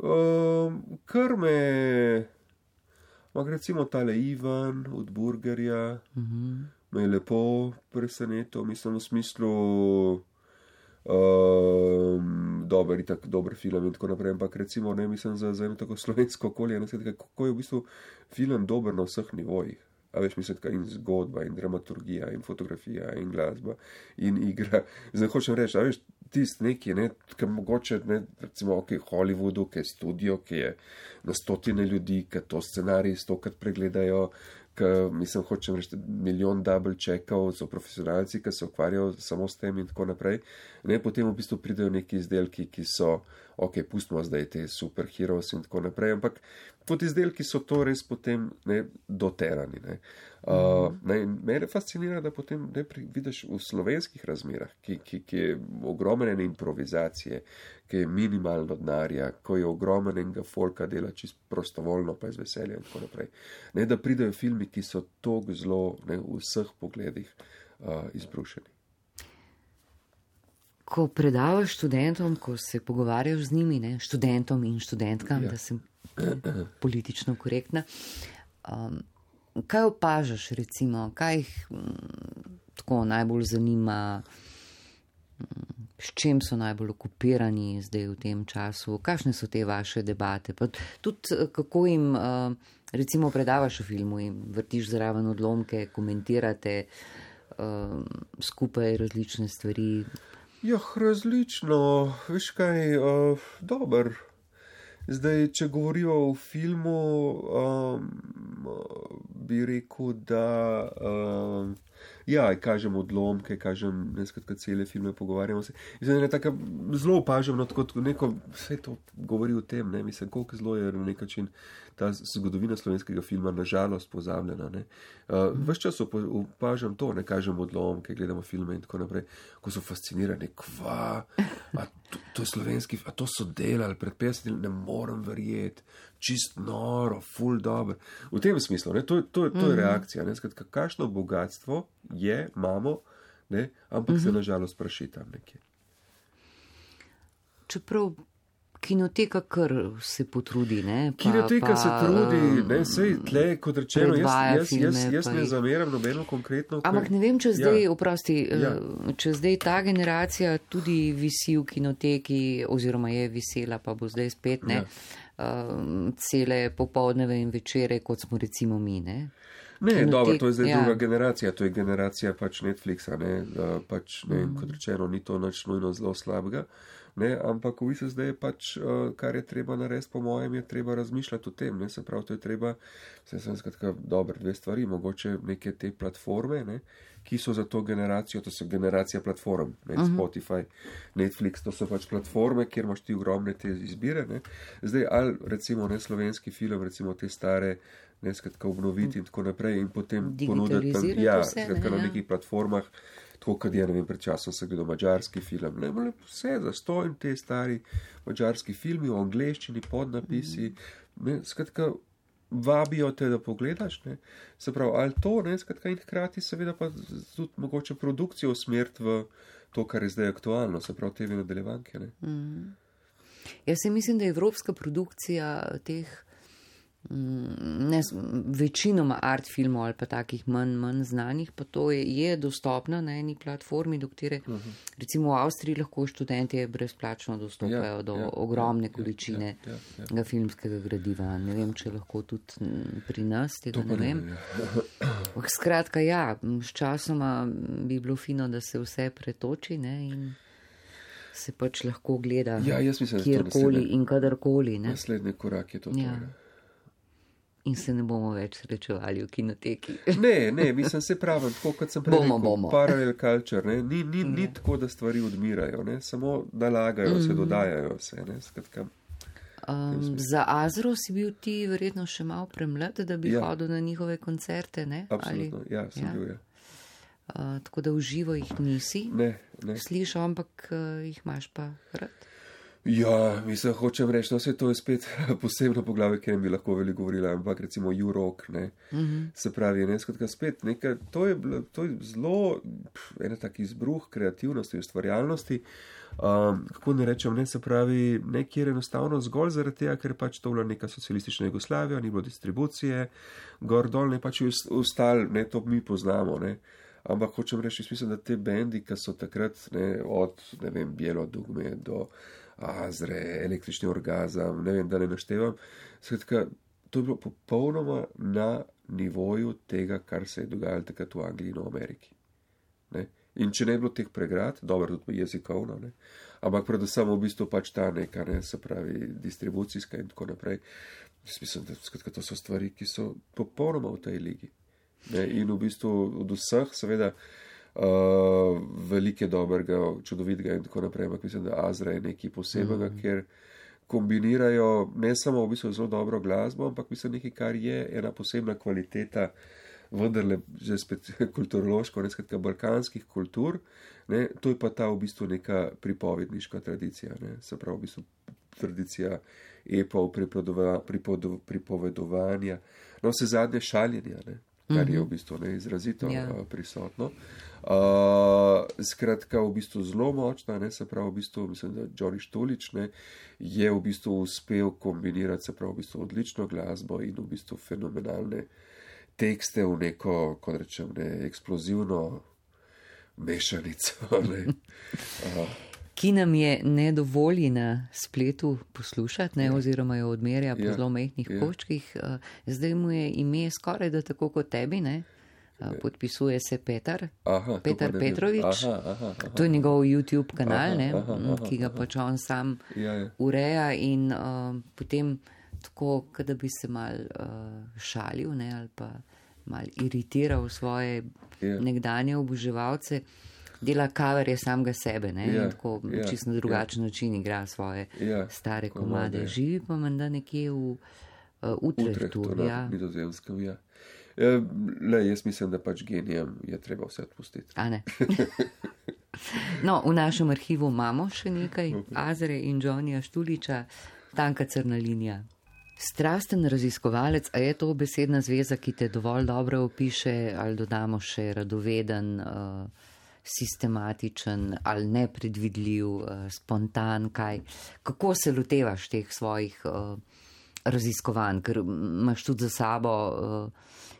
o, kar me, recimo tale Ivan od Burgerja, uh-huh. me je lepo presenetil, mislim v smislu... Um, dober, itak, dober film in tako naprej, ampak recimo, ne, mislim za, za eno tako slovensko okolje, ne, kako je v bistvu film dober na vseh nivojih. A veš, mislim, in zgodba, in dramaturgija, in fotografija, in glasba, in igra. Zdaj hočem reči, a veš, tist neki, ne, ki mogoče, ne, recimo, ok, Hollywoodu, ki je studio, ki je na stotine ljudi, ki to scenarij stokrat pregledajo, ki, mislim, hočem reči, milijon double checkov, so profesionalci, ki se ukvarjajo samo s tem in tako naprej. Ne, potem v bistvu pridejo neki izdelki, ki so, ok, pustimo zdaj te superheroes in tako naprej, ampak pod izdelki so to res potem, ne, doterani, ne. Uh, ne, mene fascinira, da potem, ne, vidiš v slovenskih razmerah, ki, ki, ki je ogromne improvizacije, ki je minimalno denarja, ko je ogromnega folka dela čisto prostovoljno, pa iz veselja in tako naprej. Ne, da pridejo filmi, ki so tako zelo, ne, v vseh pogledih uh, izbrušeni.
Ko predavaš študentom, ko se pogovarjaš z njimi, ne, študentom in študentkam, ja. Da sem politično korektna, um, kaj opažaš, recimo, kaj jih m, tako najbolj zanima, m, s čem so najbolj okupirani zdaj v tem času, kakšne so te vaše debate, pa tudi kako jim, uh, recimo, predavaš v filmu, jim vrtiš zraven odlomke, komentirate uh, skupaj različne stvari.
Ja, različno, veš kaj, uh, dober. Zdaj, če govorijo o filmu, um, bi rekel, da um, ja, kažem odlomke, kažem neskratka cele filme, pogovarjamo se. Zdaj, ne, tako, zelo opažam, no, tako neko, vse to govori o tem, ne, mislim, koliko zelo je na nek način ta zgodovina slovenskega filma nažalost pozabljena, ne. Uh, ves čas opažam to, ne, kažem odlomke, gledamo filme in tako naprej, ko so fascinirani, kva, a to, to je slovenski, a to so delali pred petdesetimi, ne morem verjeti, čist noro, ful dober. V tem smislu, ne, to, to, to je reakcija, ne, skratka, kakšno bogatstvo je, imamo, ne, ampak mm-hmm. se nažalost praši tam nekje.
Čeprav kinoteka kar se potrudi, ne? Pa,
kinoteka
pa,
se trudi, ne, sej tle, kot rečeno, jaz, jaz,
filme,
jaz, jaz ne
jih...
zameram nobeno konkretno.
Ampak ne vem, če zdaj,
ja.
oprosti,
ja.
če zdaj ta generacija tudi visi v kinoteki, oziroma je visela, pa bo zdaj spet, ne, ja. uh, cele popoldneve in večere, kot smo recimo mi, ne.
Ne, Kinotek, dobro, to je zdaj
ja.
druga generacija, to je generacija pač Netflixa, ne, uh, pač, ne, mm. kot rečeno, ni to nič nujno zelo slabega. Ne, ampak v bistvu zdaj je pač, uh, kar je treba narediti, po mojem, je treba razmišljati o tem. Ne, se pravi, to je treba, se sem skratka, dobre dve stvari, mogoče neke te platforme, ne, ki so za to generacijo, to so generacija platform, ne, uh-huh. Spotify, Netflix, to so pač platforme, kjer imaš ti ogromne te izbire. Ne. Zdaj, ali recimo ne slovenski film, recimo te stare, ne, skratka, obnoviti in tako naprej in potem ponuditi tam, ja,
vse,
skratka,
ne,
na
ja.
nekih platformah. Tako, kad je, ne vem, pred časom sem gledal mađarski film, ne, le vse zastojn te stari mađarski filmi v angleščini, podnapisi, ne, skratka, vabijo te, da pogledaš, ne, se pravi, ali to, ne, skratka, in hkrati seveda pa tudi mogoče produkcijo usmeriti v to, kar je zdaj aktualno, se pravi, te nadaljevanke, ne.
Mm. Jaz se mislim, da je evropska produkcija teh Ne, večinoma art filmov ali pa takih manj, manj znanih, pa to je, je dostopna na eni platformi, do katere uh -huh. recimo v Avstriji lahko študentje brezplačno dostopajo ja, do ja, ogromne ja, količine ja, ja, ja. filmskega gradiva. Ne vem, če lahko tudi pri nas, tega ne vem. Ja. Skratka, ja, s časoma bi bilo fino, da se vse pretoči, ne, in se pač lahko gleda
ja, mislim,
kjerkoli in kadarkoli. Ne.
Naslednji korak je to.
Ja.
To,
In se ne bomo več srečevali v kinoteki.
Ne, ne, mislim, se pravim, tako kot sem prej rekel, parallel culture, ne, ni, ni, ni
ja.
tako, da stvari odmirajo, ne, samo nalagajo mm-hmm. se, dodajajo se, ne, skratka.
Um, za Azro si bil ti verjetno še malo premlad, da bi ja. hodil na njihove koncerte, ne?
Absolutno, Ali, ja, sem ja. bil, ja.
Uh, tako da v živo jih nisi
ne, ne.
slišal, ampak uh, jih imaš pa rad.
Ja, mislim, hočem reči, no, vse to je spet posebno poglavje, ker bi lahko veliko govorila, ampak recimo U-Rock, ne, mm-hmm. se pravi, ne, skratka spet, nekaj, to je, to je zelo, ena tak izbruh kreativnosti, ustvarjalnosti, um, kako ne rečem, ne, se pravi, nekjer enostavno zgolj zaradi tega, ker pač to bila neka socialistična Jugoslavija, ni bilo distribucije, gor dol, ne, pač ustal, ne, to mi poznamo, ne. Ampak hočem reči, mislim, da te bendi, ki so takrat, ne, od, ne vem, Bijelo dugme do Azre, Električni orgazem, ne vem, da ne naštevam. Skratka, to je bilo popolnoma na nivoju tega, kar se je dogajalo takrat v Angliji in v Ameriki. Ne? In če ne bi bilo teh pregrad, dobro, tudi jezikovno, ne? Ampak predvsem v bistvu pač ta neka, ne, se pravi, distribucijska in tako naprej. Mislim, da skratka, to so stvari, ki so popolnoma v tej ligi. Ne? In v bistvu od vseh, seveda, Uh, velike dobrega, čudovitega in tako naprej, ampak mislim, da Azra je nekaj posebnega, mm-hmm. ker kombinirajo ne samo v bistvu zelo dobro glasbo, ampak mislim nekaj, kar je ena posebna kvaliteta, vendarle že spet kulturološko, ne, skratka, balkanskih kultur, ne, to je pa ta v bistvu neka pripovedniška tradicija, ne, se pravi v bistvu tradicija epov, pripovedovanja, no vse zadnje šaljenja, ne, kar mm-hmm. je v bistvu ne, izrazito yeah. uh, prisotno. Uh, skratka, v bistvu zelo močna, ne, se pravi, v bistvu, mislim, da Johnny Štulič, ne, je v bistvu uspel kombinirati, se pravi, v bistvu odlično glasbo in v bistvu fenomenalne tekste v neko, kot rečem, ne, eksplozivno mešanico, ne. Uh.
Ki nam je ne dovoli na spletu poslušati, ne, ja. oziroma jo odmerja po ja. zelo majhnih ja. koščkih. Zdaj mu je ime skoraj da tako kot tebi, ne. Podpisuje se Petar,
aha,
Petar Petrovič.
Aha, aha, aha.
To je njegov YouTube kanal,
aha,
ne,
aha, aha,
ki ga pač on sam
ja, ja.
ureja in uh, potem tako, da bi se mal uh, šalil, ne, ali pa mal iritiral svoje ja. nekdanje oboževalce. Dela coverje samega sebe, ne,
ja,
in tako
ja,
čisto na drugačen
ja.
način igra svoje
ja,
stare komade.
komade.
Živi pa menda nekje v uh, Utrechtu.
Utrechtu,
ja.
na Nizozemskem, ja. E, le, jaz mislim, da pač genijem je treba vse odpustiti.
A ne. No, v našem arhivu imamo še nekaj Azre in Johnnyja Štuliča, Tanka crna linija. Strasten raziskovalec, a je to besedna zveza, ki te dovolj dobro opiše, ali dodamo še radoveden, uh, sistematičen ali nepredvidljiv, spontan, kaj. Kako se lotevaš teh svojih raziskovanj, ker imaš tudi za sabo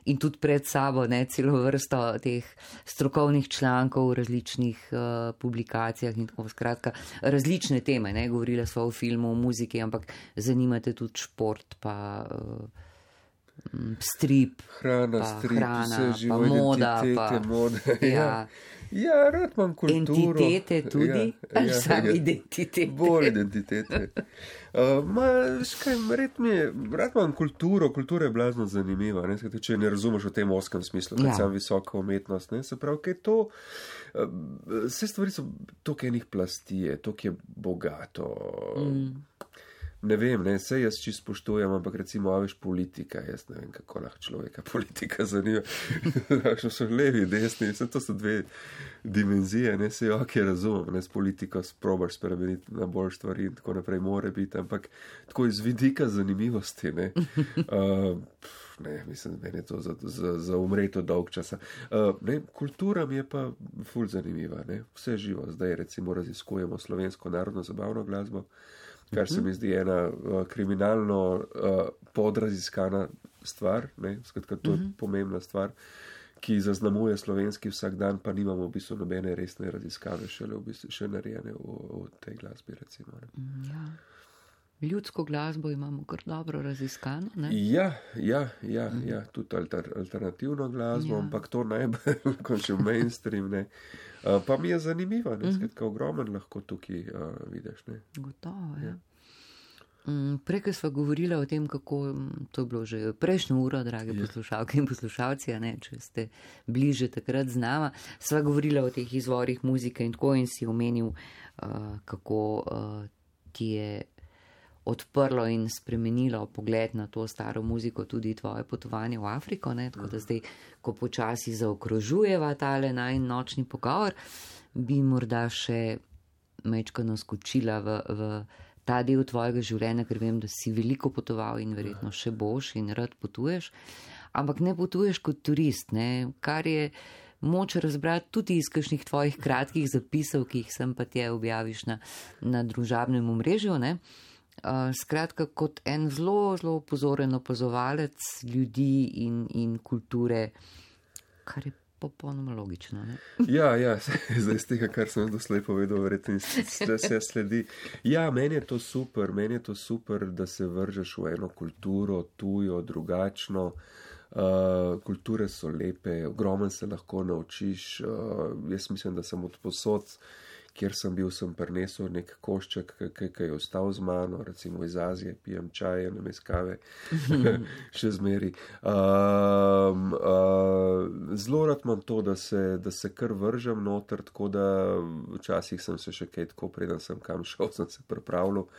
in tudi pred sabo ne, celo vrsto teh strokovnih člankov v različnih uh, publikacijah in tako skratka. Različne teme, ne, govorila sva o filmu, o muziki, ampak zanimate tudi šport, pa uh, strip,
hrana,
pa,
strip,
hrana,
vse živo,
pa moda,
pa, mode.
Ja.
Ja, rad imam kulturo.
Entitete tudi, ja, ali ja, sam ja. identitete?
Bolj identitete. Uh, ma, škaj, red mi je, rad imam kulturo, kultura je blazno zanimiva, ne, skaj, če ne razumeš v tem oskem smislu, kad ja. Sam visoka umetnost, ne, se pravi, kaj to, uh, vse stvari so, toliko enih plasti je, toliko je bogato. Mm. Ne vem, ne, vse jaz čisto spoštujem, ampak recimo, a veš, politika, jaz ne vem, kako lahko človeka politika zanima. Što so levi, desni, vse to so dve dimenzije, ne, se jo, ki razumem, ne, s politiko sprobaš spremeniti na bolj stvari in tako naprej more biti, ampak tako iz vidika zanimivosti, ne, uh, ne, mislim, meni je to za, za, za umreto dolg časa. Uh, ne, kultura mi je pa ful zanimiva, ne, vse živo, zdaj recimo raziskujemo slovensko narodno zabavno glasbo, kar se mi zdi ena uh, kriminalno uh, podraziskana stvar, ne, skratka, to je uh-huh. pomembna stvar, ki zaznamuje slovenski vsak dan, pa nimamo v bistvu nobene resne raziskave šele v bistvu še narejene v, v tej glasbi, recimo. Ne.
Ja. Ljudsko glasbo imamo kar dobro raziskano, ne?
Ja, ja, ja, uh-huh. ja, tudi alter, alternativno glasbo, ja. Ampak to najbolj, kot še v mainstream, ne. Uh, pa mi je zanimiva, ne, skratka, ogromen lahko tukaj uh, vidiš, ne.
Gotovo, ja. ja. Um, Prej sva govorila o tem, kako, to je bilo že prejšnjo uro, drage ja. Poslušalke in poslušalci, ne, če ste bliže takrat z nama, sva govorila o teh izvorih muzike in tako in si omenil, uh, kako uh, ti je odprlo in spremenilo pogled na to staro muziko tudi tvoje potovanje v Afriko, ne? Tako da zdaj, ko počasi zaokrožujeva tale najin nočni pogovor, bi morda še mečkano skočila v, v ta del tvojega življenja, ker vem, da si veliko potoval in verjetno še boš in rad potuješ, ampak ne potuješ kot turist, ne? Kar je moč razbrati tudi iz kakšnih tvojih kratkih zapisov, ki jih sem pa tje objaviš na, na družabnem omrežju, ne? Uh, skratka, kot en zelo, zelo pozoren opazovalec ljudi in, in kulture, kar je popolnoma logično. Ne?
Ja, ja, zdaj z tega, kar sem doslej povedal, verjetno se sledi. Ja, meni je to super, meni je to super, da se vržeš v eno kulturo, tujo, drugačno. Uh, kulture so lepe, ogromen se lahko naučiš. Uh, jaz mislim, da sem od posod, kjer sem bil, sem prinesel nek košček, ki je ostal z mano, recimo iz Azije, pijem čaje, namesto kave, še zmeri. Um, uh, zelo rad imam to, da se, da se kar vržem noter, tako da včasih sem se še kaj tako, preden sem kam šel, sem se pripravljal,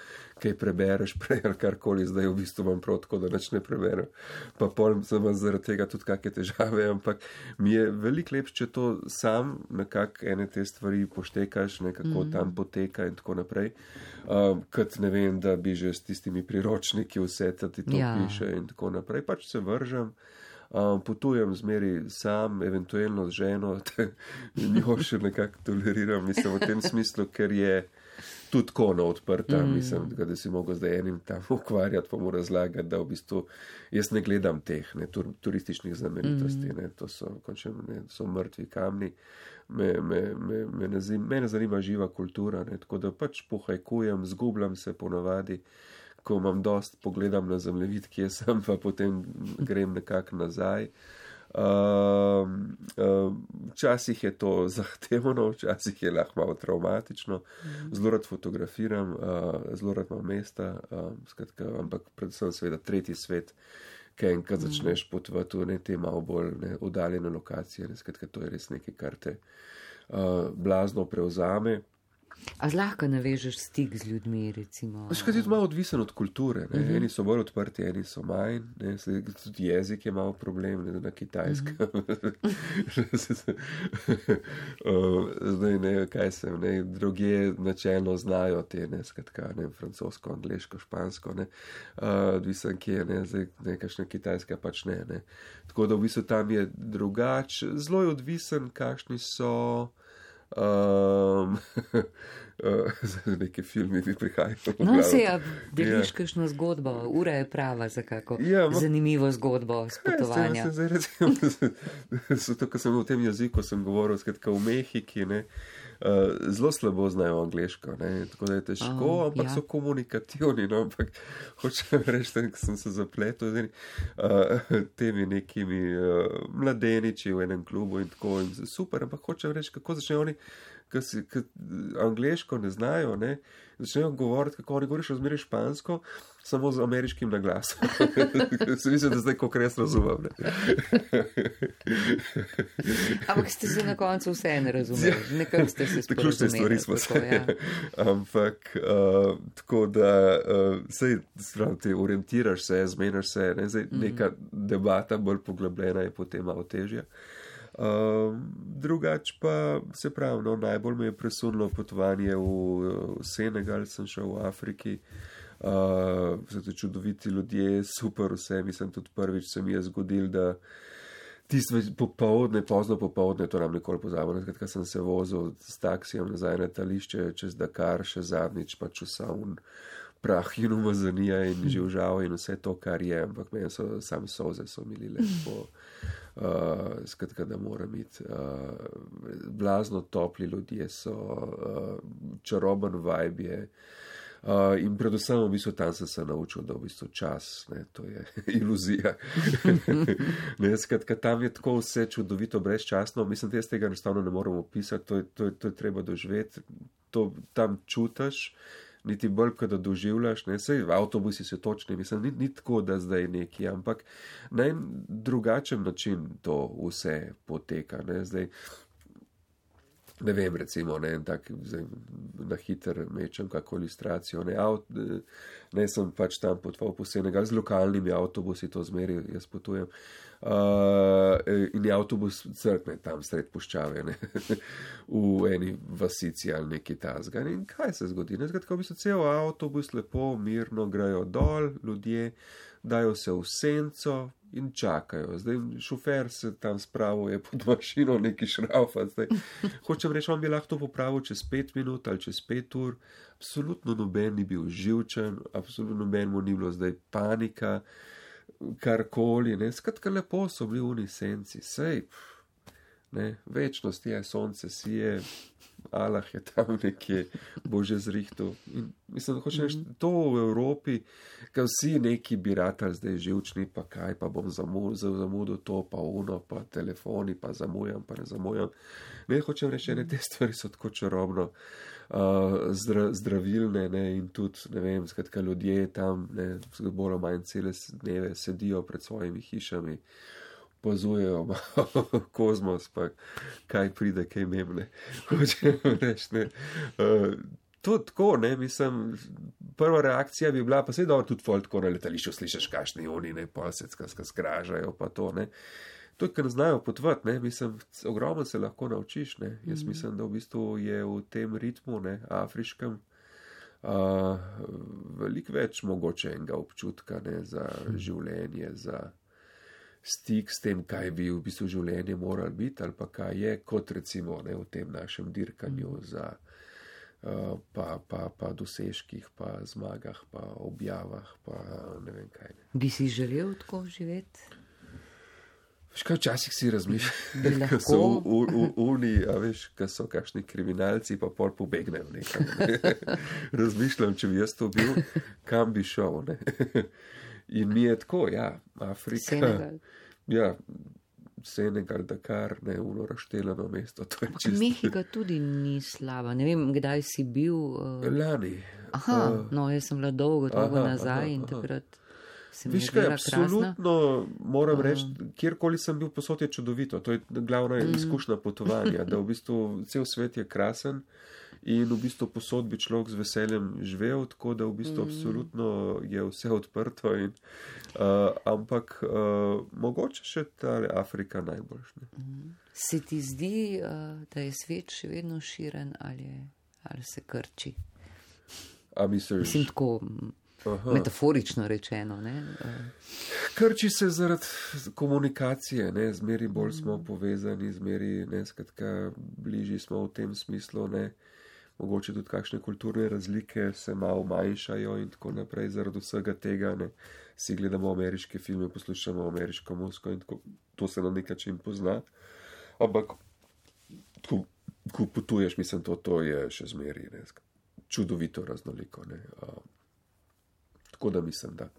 kaj prebereš prej ali karkoli, zdaj v bistvu imam prav tako, da nič ne preberem. Pa pol sem zaradi tega tudi kakšne težave, ampak mi je veliko lepše, če to sam nekako ene te stvari poštekaš, kako mm. tam poteka in tako naprej. Um, kot ne vem, da bi že s tistimi priročniki vse ti to ja. Piše in tako naprej. Pač se vržem, um, potujem zmeri sam, eventualno z ženo, njo še nekako toleriram, mislim v tem smislu, ker je tudi kona odprta, mm. mislim, da si mogel zdaj enim tam ukvarjati, pa mu razlagati, da v bistvu jaz ne gledam teh ne, tur, turističnih znamenitosti, mm. ne, to so, končem, ne, so mrtvi kamni, me, me, me, me, ne, me ne zanima živa kultura, ne, tako da pač pohajkujem, zgubljam se ponavadi, ko imam dost, pogledam na zemljevid, kje sem, pa potem grem nekako nazaj. Uh, uh, včasih je to zahtevno, včasih je lahko malo traumatično, zelo rad fotografiram, uh, zelo rad imam mesta, uh, skratka, ampak predvsem seveda tretji svet, kaj enkrat začneš potovati v ne te malo bolj ne, oddaljene lokacije, ne, skratka, to je res nekaj, kar te uh, blazno prevzame.
A zlahka navežeš stik z ljudmi, recimo?
Škrat je to malo odvisen od kulture. Ne? Uh-huh. Eni so bolj odprti, eni so manj. Ne? Tudi jezik je malo problem, ne? Na kitajskem. Uh-huh. Zdaj ne, kaj sem, ne? Drugje načelno znajo te, ne? Skratka, ne? Francosko, angleško, špansko, ne? Uh, odvisen kje, ne? Zdaj nekakšna kitajska pač ne, ne? Tako da v bistvu tam je drugač. Zelo je odvisen, kakšni so Um, Za neke filme mi prihajajo.
No, se je, deliš kakšno zgodbo, ura je prava za kako ja, ma, zanimivo zgodbo s potovanja.
Ja, zdaj, recimo, zato, ko sem v tem jeziku sem govoril, skratka v Mehiki, ne, uh, zelo slabo znajo angleško, ne, tako da je težko, oh, ampak ja. So komunikativni, no, ampak hočem reči, da sem se zapletel z uh, temi nekimi uh, mladeniči v enem klubu in tako in super, ampak hočem reči, kako začnejo oni, ki angleško ne znajo, ne, začnejo govoriti, kako oni govoriš razmeri špansko, samo z ameriškim naglasom. Se mislim, da zdaj kako res razumem.
Ampak ste se na koncu vse ne razumeli, nekako ste se sporazumeli.
Tako ste stvari smo se. Ja. Ampak, uh, tako da, uh, sej, sprav, te orientiraš se, zmenaš se, ne, zdaj mm. neka debata bolj poglobljena je potem malo težja. Uh, drugač pa se pravi, no, najbolj me je presunilo potovanje v, v Senegal, sem šel v Afriki, uh, so to čudoviti ljudje, super vse, mislim tudi prvič se mi je zgodil, da tisto popovdne, pozno popovdne, to nam nikoli pozabimo, nekaj sem se vozil s taksijem nazaj na letališče čez Dakar, še zadnjič pač vsa un prah in umazanija in živžava in vse to, kar je, ampak meni so sami solze so milile po Uh, skratka, da moram iti. Uh, blazno topli ljudje so, uh, čaroben vibe je. Uh, in predvsem v bistvu tam sem se naučil, da v bistvu čas, ne, to je iluzija. Ne, skratka, tam je tako vse čudovito, brezčasno. Mislim, da jaz tega enostavno ne morem opisati, to je, to je, to je treba doživeti. To tam čutaš. Niti bolj, ko da doživljaš, ne, sej avtobusi so točni, mislim, ni, ni tako, da zdaj neki, ampak na en drugačen način to vse poteka, ne, zdaj, ne vem, recimo, ne, tak, zdaj, na hiter mečem kako ilustracijo, ne, avt, ne, sem pač tam potoval po Senegal, z lokalnimi avtobusi to zmeri, jaz potujem, uh, in je avtobus crkne tam sred puščave, ne, v eni vasici ali neki tazga, in kaj se zgodi, ne, zgodi, ko bi se cel avtobus lepo, mirno grejo dol, ljudje, dajo se v senco in čakajo. Zdaj šofer se tam spravuje pod mašino neki šraufa. Zdaj, hočem reči, on bi lahko to popravil čez pet minut ali čez pet ur. Absolutno noben ni bil živčen, absolutno noben mu ni bilo zdaj panika, karkoli. Ne. Skratka, lepo so bili v senci. Sej, ne, večnost je, sonce sije, Allah je tam nekje, bo že zrihtel. In mislim, da hočeš mm. to v Evropi, kaj vsi neki bi ratali zdaj živčni, pa kaj, pa bom zamudil, zamudil to, pa uno, pa telefoni, pa zamujam, pa ne zamujam. Ne, hočem reči, ne, te stvari so tako čarobno uh, zdra, zdravilne, ne, in tudi, ne vem, skratka, ljudje tam, ne, bolj manj cele dneve sedijo pred svojimi hišami, pozujejo kozmos, pa kaj pride, kaj memne. Hočem reči, ne. Uh, to tako, ne, mislim, prva reakcija bi bila, pa sej dobro tudi folk tako na letališču slišeš, kakšni oni, ne, polsecka skražajo, pa to, ne. To, kar znajo potvati, ne, mislim, ogromno se lahko naučiš, ne. Jaz mislim, da v bistvu je v tem ritmu, ne, afriškem, uh, veliko več mogoče enega občutka, ne, za življenje, za stik s tem, kaj bi v bistvu življenje moralo biti, ali pa kaj je, kot recimo, ne, v tem našem dirkanju za uh, pa, pa, pa dosežkih, pa zmagah, pa objavah, pa ne vem kaj. Ne.
Bi si želel tako živeti?
Veš kaj, včasih si razmišljam, ko so v, v, v uni, a veš, ko so kakšni kriminalci, pa pol pobegnejo nekam. Ne. Razmišljam, če bi jaz to bil, kam bi šel, ne. In mi je tako, ja, Afrika,
Senegal,
ja, Senegal, Dakar, ne, uno razšteljeno mesto, to je čisto.
Mehika tudi ni slaba, ne vem, kdaj si bil. Uh...
Lani.
Aha, uh... no, jaz sem bila dolgo, dolgo aha, nazaj aha, in aha. Takrat se mi je zdela krasna.
Absolutno moram reči, kjerkoli sem bil posod je čudovito, to je glavna mm. izkušnja potovanja, da v bistvu cel svet je krasen. In v bistvu posod bi človek z veseljem živel, tako da v bistvu mm. absolutno je vse odprto. In, uh, ampak uh, mogoče še ta Afrika najboljš.
Mm. Se ti zdi, uh, da je svet še vedno širen ali, ali se krči?
A misliš?
Mislim tako, Aha. Metaforično rečeno. Ne?
Krči se zaradi komunikacije, ne? Zmeri bolj smo povezani, zmeri, ne, skratka, bližji smo v tem smislu, ne? Mogoče tudi kakšne kulturne razlike se malo manjšajo in tako naprej zaradi vsega tega, ne? Si gledamo ameriške filme, poslušamo ameriško muziko in tako, to se na nek način pozna, ampak ko, ko potuješ, mislim, to, to je še zmeri, ne? Čudovito raznoliko, ne? Uh, tako da mislim, da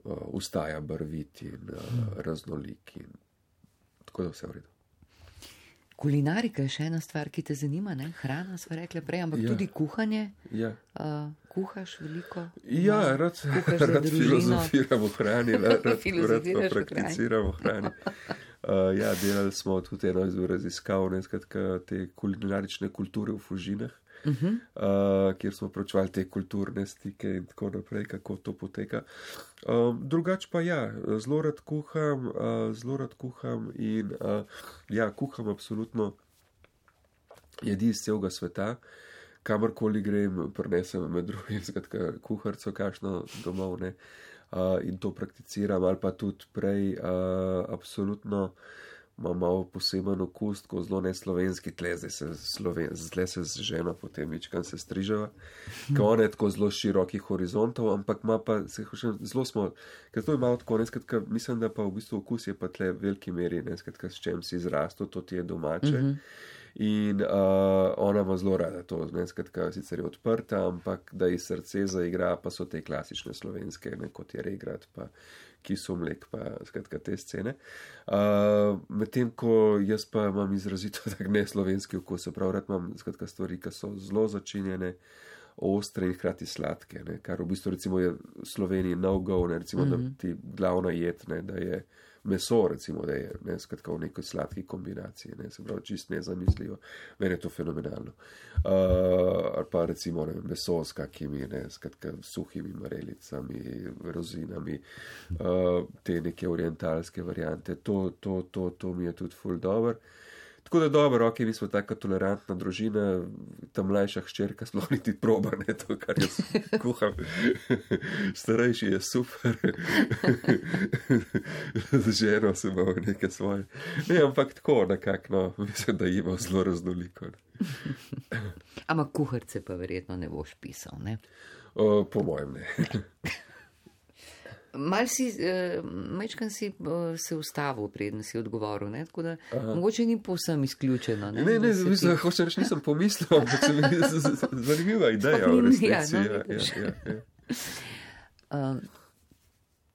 uh, ustaja barvit in uh, raznolik in tako da vse v redu.
Kulinarika je še ena stvar, ki te zanima, ne? Hrana, sva rekla prej, ampak ja. Tudi kuhanje. Ja. Uh, kuhaš veliko?
Ja, no, rad, rad filozofiram o hrani, rad, rad pa prakticiram o hrani. Uh, ja, delali smo tudi eno iz raziskav, ne, skratka, te kulinarične kulture v Fužinah, uh-huh. uh, kjer smo pročvali te kulturne stike in tako naprej, kako to poteka. Um, drugač pa ja, zelo rad kuham, uh, zelo rad kuham in uh, ja, kuham absolutno jedi iz celega sveta, kamorkoli grem, prinesem med drugim, skratka, kuharco kakšno domov, ne, uh, in to prakticiram, ali pa tudi prej, uh, absolutno imam malo poseben okus, ko zelo neslovenski tle, zdaj se, sloven, zdaj se z ženo potem ničkam se strižava, ko on je tako zelo širokih horizontov, ampak ima pa, se hočem, zelo smo, ker to je malo tako, ne, skratka, mislim, da pa v bistvu okus je pa tle v veliki meri, ne, skratka, s čem si izrastel, to ti je domače. Mm-hmm. In uh, ona ima zelo rada to, ne, skratka, sicer je odprta, ampak da ji srce zaigra, pa so te klasične slovenske, ne, kot je regrat, pa kiso mlek, pa skratka te scene. Uh, medtem, ko jaz pa imam izrazito tak neslovenski okus, prav rad imam skratka stvari, ki so zelo začinjene, ostre in hkrati sladke, ne, kar v bistvu recimo je v Sloveniji no-go, ne, recimo, mm-hmm. da ti glavna jed, ne, da je meso, recimo, da je, ne, skratka, v nekoj sladki kombinaciji, ne, se pravi, čist nezamisljivo. Meni je to fenomenalno. Uh, ali pa, recimo, ne, meso s kakimi, ne, skratka, suhimi marelicami, rozinami, uh, te neke orientalske variante, to, to, to, to mi je tudi ful dober. Tako da dobro, ok, mi smo taka tolerantna družina, ta mlajša hčerka sploh niti proba, ne, to, kar jaz kuham. Starejši je super. Z ženo se imamo nekaj svoje. Ne, ampak tako nekako, no, mislim, da ima zelo raznoliko.
Ampak kuharce pa verjetno ne boš pisal, ne?
O, po mojem ne.
Mal si, uh, mečkan si uh, se ustavil, preden si odgovoril, ne? Tako da aha. Mogoče ni povsem izključeno. Ne,
ne, ne mislim, ti... hočem reči, nisem pomislil, ampak se mi je zanimiva ideja v resnici. Ja, no, ja, ja, ja, ja. Um,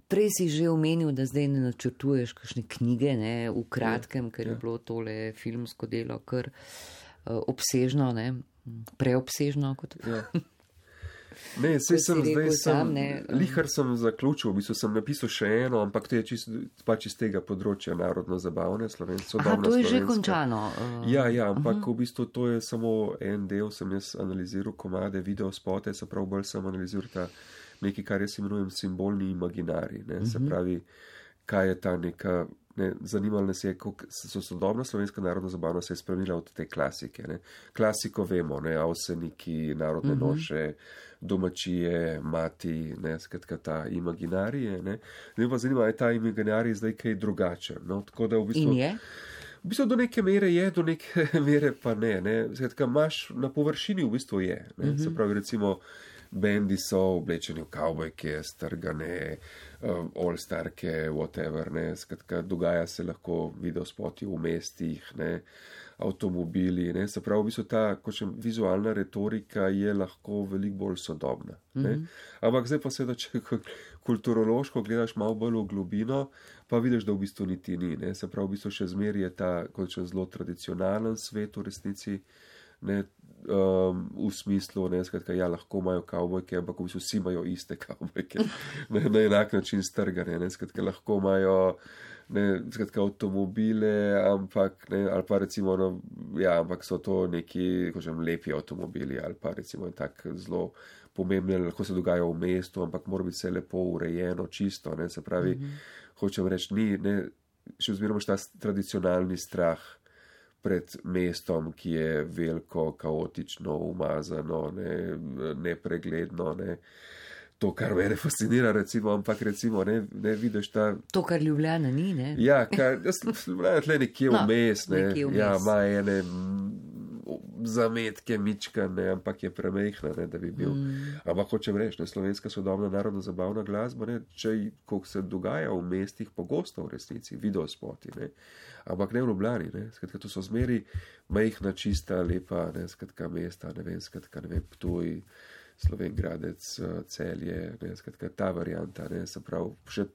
prej si že omenil, da zdaj ne načrtuješ kakšne knjige, ne, v kratkem, ja, ker je ja. Bilo tole filmsko delo kar uh, obsežno, ne, preobsežno kot. Ja. Ne, sej sem zdaj, sem, lihar sem zaključil, v bistvu sem napisal še eno, ampak to je čist, pač iz tega področja narodno-zabavne, slovensko.
Aha, to je slovenska. Že končano. Uh,
ja, ja, ampak uh-huh. v bistvu to je samo en del, sem jaz analiziral komade, videospote, se pravi, bolj sem analiziral ta nekaj, kar jaz imenujem simbolni imaginari, ne, uh-huh. se pravi, kaj je ta neka, ne, zanimalo nas je, kako so sodobna slovenska narodno-zabavna se je spremenila od te klasike, ne. Klasiko vemo, ne, avseniki, narodne uh-huh. noše, domačije, mati, ne, skratka ta imaginarije, ne. Zdaj pa zanima, je ta imaginarij zdaj kaj drugačen, no, tako da v bistvu...
In je?
V bistvu do neke mere je, do neke mere pa ne, ne. Skratka, imaš na površini v bistvu je, ne, uh-huh. se pravi, recimo, bendi so oblečeni v kavbojke, strgane, um, all-starke, whatever, ne, skratka, dogaja se lahko videospoti v mestih, ne, avtomobili, ne, se pravi, v bistvu ta, kočem, vizualna retorika je lahko veliko bolj sodobna, ne, mm-hmm. ampak zdaj pa seveda, če kulturološko gledaš malo bolj v globino, pa vidiš, da v bistvu niti ni, ne, se pravi, v bistvu še zmeraj je ta, kočem, zelo tradicionalen svet v resnici, ne, um, v smislu, ne, skratka, ja, lahko imajo kavbojke, ampak v bistvu vsi imajo iste kavbojke, ne, na enak način strgane, ne, skratka, lahko imajo, ne, skratka, avtomobile, ampak, ne, ali pa recimo, no, ja, ampak so to neki, kožem, lepi avtomobili, ali pa recimo tak zelo pomembni, lahko se dogajajo v mestu, ampak mora biti vse lepo urejeno, čisto, ne, se pravi, mm-hmm. hočem reči, ni, ne, še vzmeramo ta tradicionalni strah pred mestom, ki je veliko, kaotično, umazano, ne, nepregledno, ne. to, kar mene fascinira, recimo, ampak recimo, ne, ne vidiš ta.
To, kar Ljubljana ni, ne?
Ja, kar, jaz Ljubljana tle nekje
No,
vmes, ne,
nekje vmes.
ja, ima ene zametke, mička, ne, ampak je premehna, ne, da bi bil. Mm. Ampak hočem reči, ne, slovenska sodobna narodno zabavna glasba, ne, če, koliko se dogaja v mestih, pogosto v resnici, videospoti, ne, ampak ne v Ljubljani, ne, skratka, to so zmeri majhna, čista, lepa, ne, skratka, mesta, ne vem, skratka, ne vem, Ptuj, Slovengradec, Celje, ne, skratka, ta varianta, ne, se pravi, še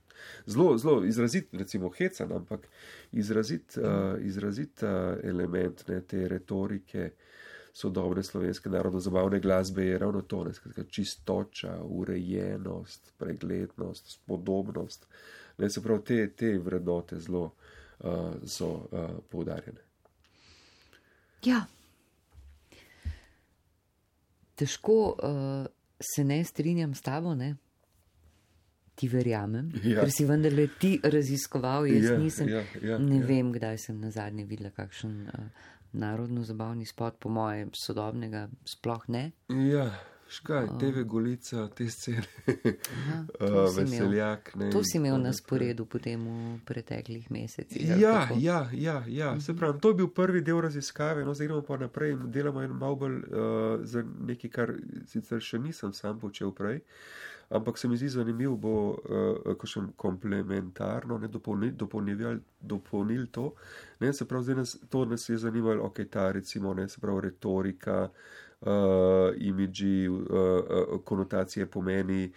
zelo, zelo izrazit, recimo, hecan, ampak izrazit, uh, izrazit uh, element, ne, te retorike sodobne slovenske narodno-zabavne glasbe je ravno to, ne, skratka, čistoča, urejenost, preglednost, spodobnost, ne, se pravi, te, te vrednote zelo uh, so uh, poudarjene.
Ja. Težko uh, se ne strinjam s tabo, ne? Ti verjamem,
Ja.
ker si vendarle ti raziskoval, jaz
Ja,
nisem,
ja, ja,
ne
ja.
vem, kdaj sem nazadnje videla kakšen uh, narodno-zabavni spot, po moje sodobnega sploh ne.
Ja, škaj, T V Golica, te scene,
Aha, to
uh,
si imel.
veseljak. Ne,
To si imel
in
na
tako
sporedu potem v preteklih mesecih. ali
Ja,
kako?
ja, ja, ja. Se pravi, to je bil prvi del raziskave, no zdaj gremo pa naprej in delamo en malo bolj uh, za nekaj, kar sicer še nisem sam počel prej, ampak se mi zdi zanimiv, bo uh, kakšen komplementarno, ne dopolnil, dopolnil, dopolnil to, ne, se pravi, zdaj nas, to nas je zanimalo, ok, ta recimo, ne, se pravi, retorika, uh, imidži, uh, uh, konotacije pomeni,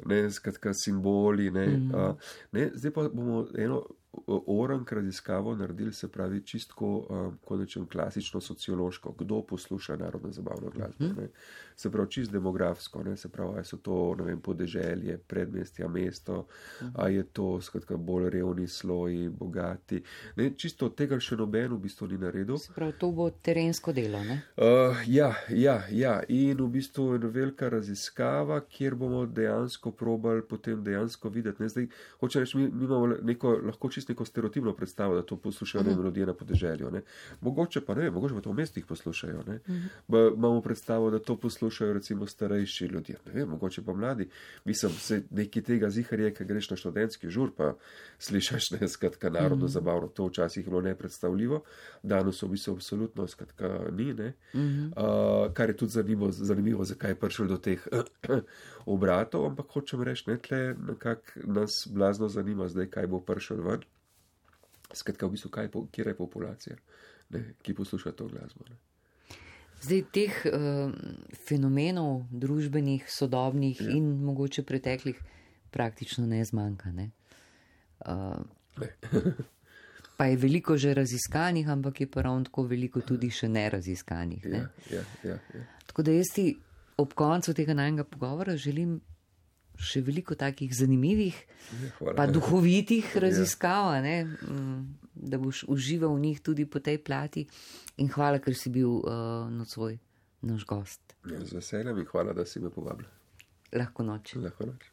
ne, skratka, simboli, ne, mm. uh, ne, zdaj pa bomo eno orank raziskavo naredili, se pravi, čistko, um, kot rečem, klasično sociološko, kdo posluša narodno zabavno glasbo, mm. ne, se pravi, čist demografsko, ne, se pravi, a so to, ne vem, podeželje, predmestja, mesto, mm. a je to, skratka, bolj revni sloji, bogati, ne, čisto tega še noben v bistvu ni naredil.
Se pravi, to bo terensko delo, ne?
Uh, ja, ja, ja, in v bistvu je velika raziskava, kjer bomo dejansko probali potem dejansko videti. Ne? Zdaj, hoče reči, mi, mi imamo neko, lahko čisto neko stereotipno predstavo, da to poslušajo uh-huh. ljudje na podeželju. Ne? Mogoče pa ne vem, mogoče pa to v mestih poslušajo. Ne? Uh-huh. Ba, imamo predstavo, da to poslušajo recimo starejši ljudje. Ne vem, mogoče pa mladi. Mislim, se nekaj tega zihar je, kad greš na študentski žur, pa slišaš, ne, skratka, narodno uh-huh. zabavno. To včasih je bilo nepredstavljivo. Danes v bistvu absolutno, skratka, ni, ne. Uh-huh. Uh, kar je tudi zanimivo, zanimivo, zakaj je prišel do teh obratov, ampak hočem reči, ne, tle nekako nas blazno zanima zdaj, kaj bo prišel ven. Skratka, v bistvu, kaj, kjer je populacija, ne, ki posluša to glasbo. Ne.
Zdaj, teh uh, fenomenov družbenih, sodobnih ja. in mogoče preteklih praktično ne zmanjka, ne? Uh,
ne.
Pa je veliko že raziskanih, ampak je pa ravno tako veliko tudi še neraziskanih. Ne?
Ja, ja, ja, ja.
Tako da jaz ti ob koncu tega najnega pogovora želim še veliko takih zanimivih, ja, pa duhovitih raziskav, ne? Da boš užival v njih tudi po tej plati. In hvala, ker si bil uh, nocoj naš gost.
Ja, z veseljem in hvala, da si me povabila.
Lahko noč.
Lahko noč.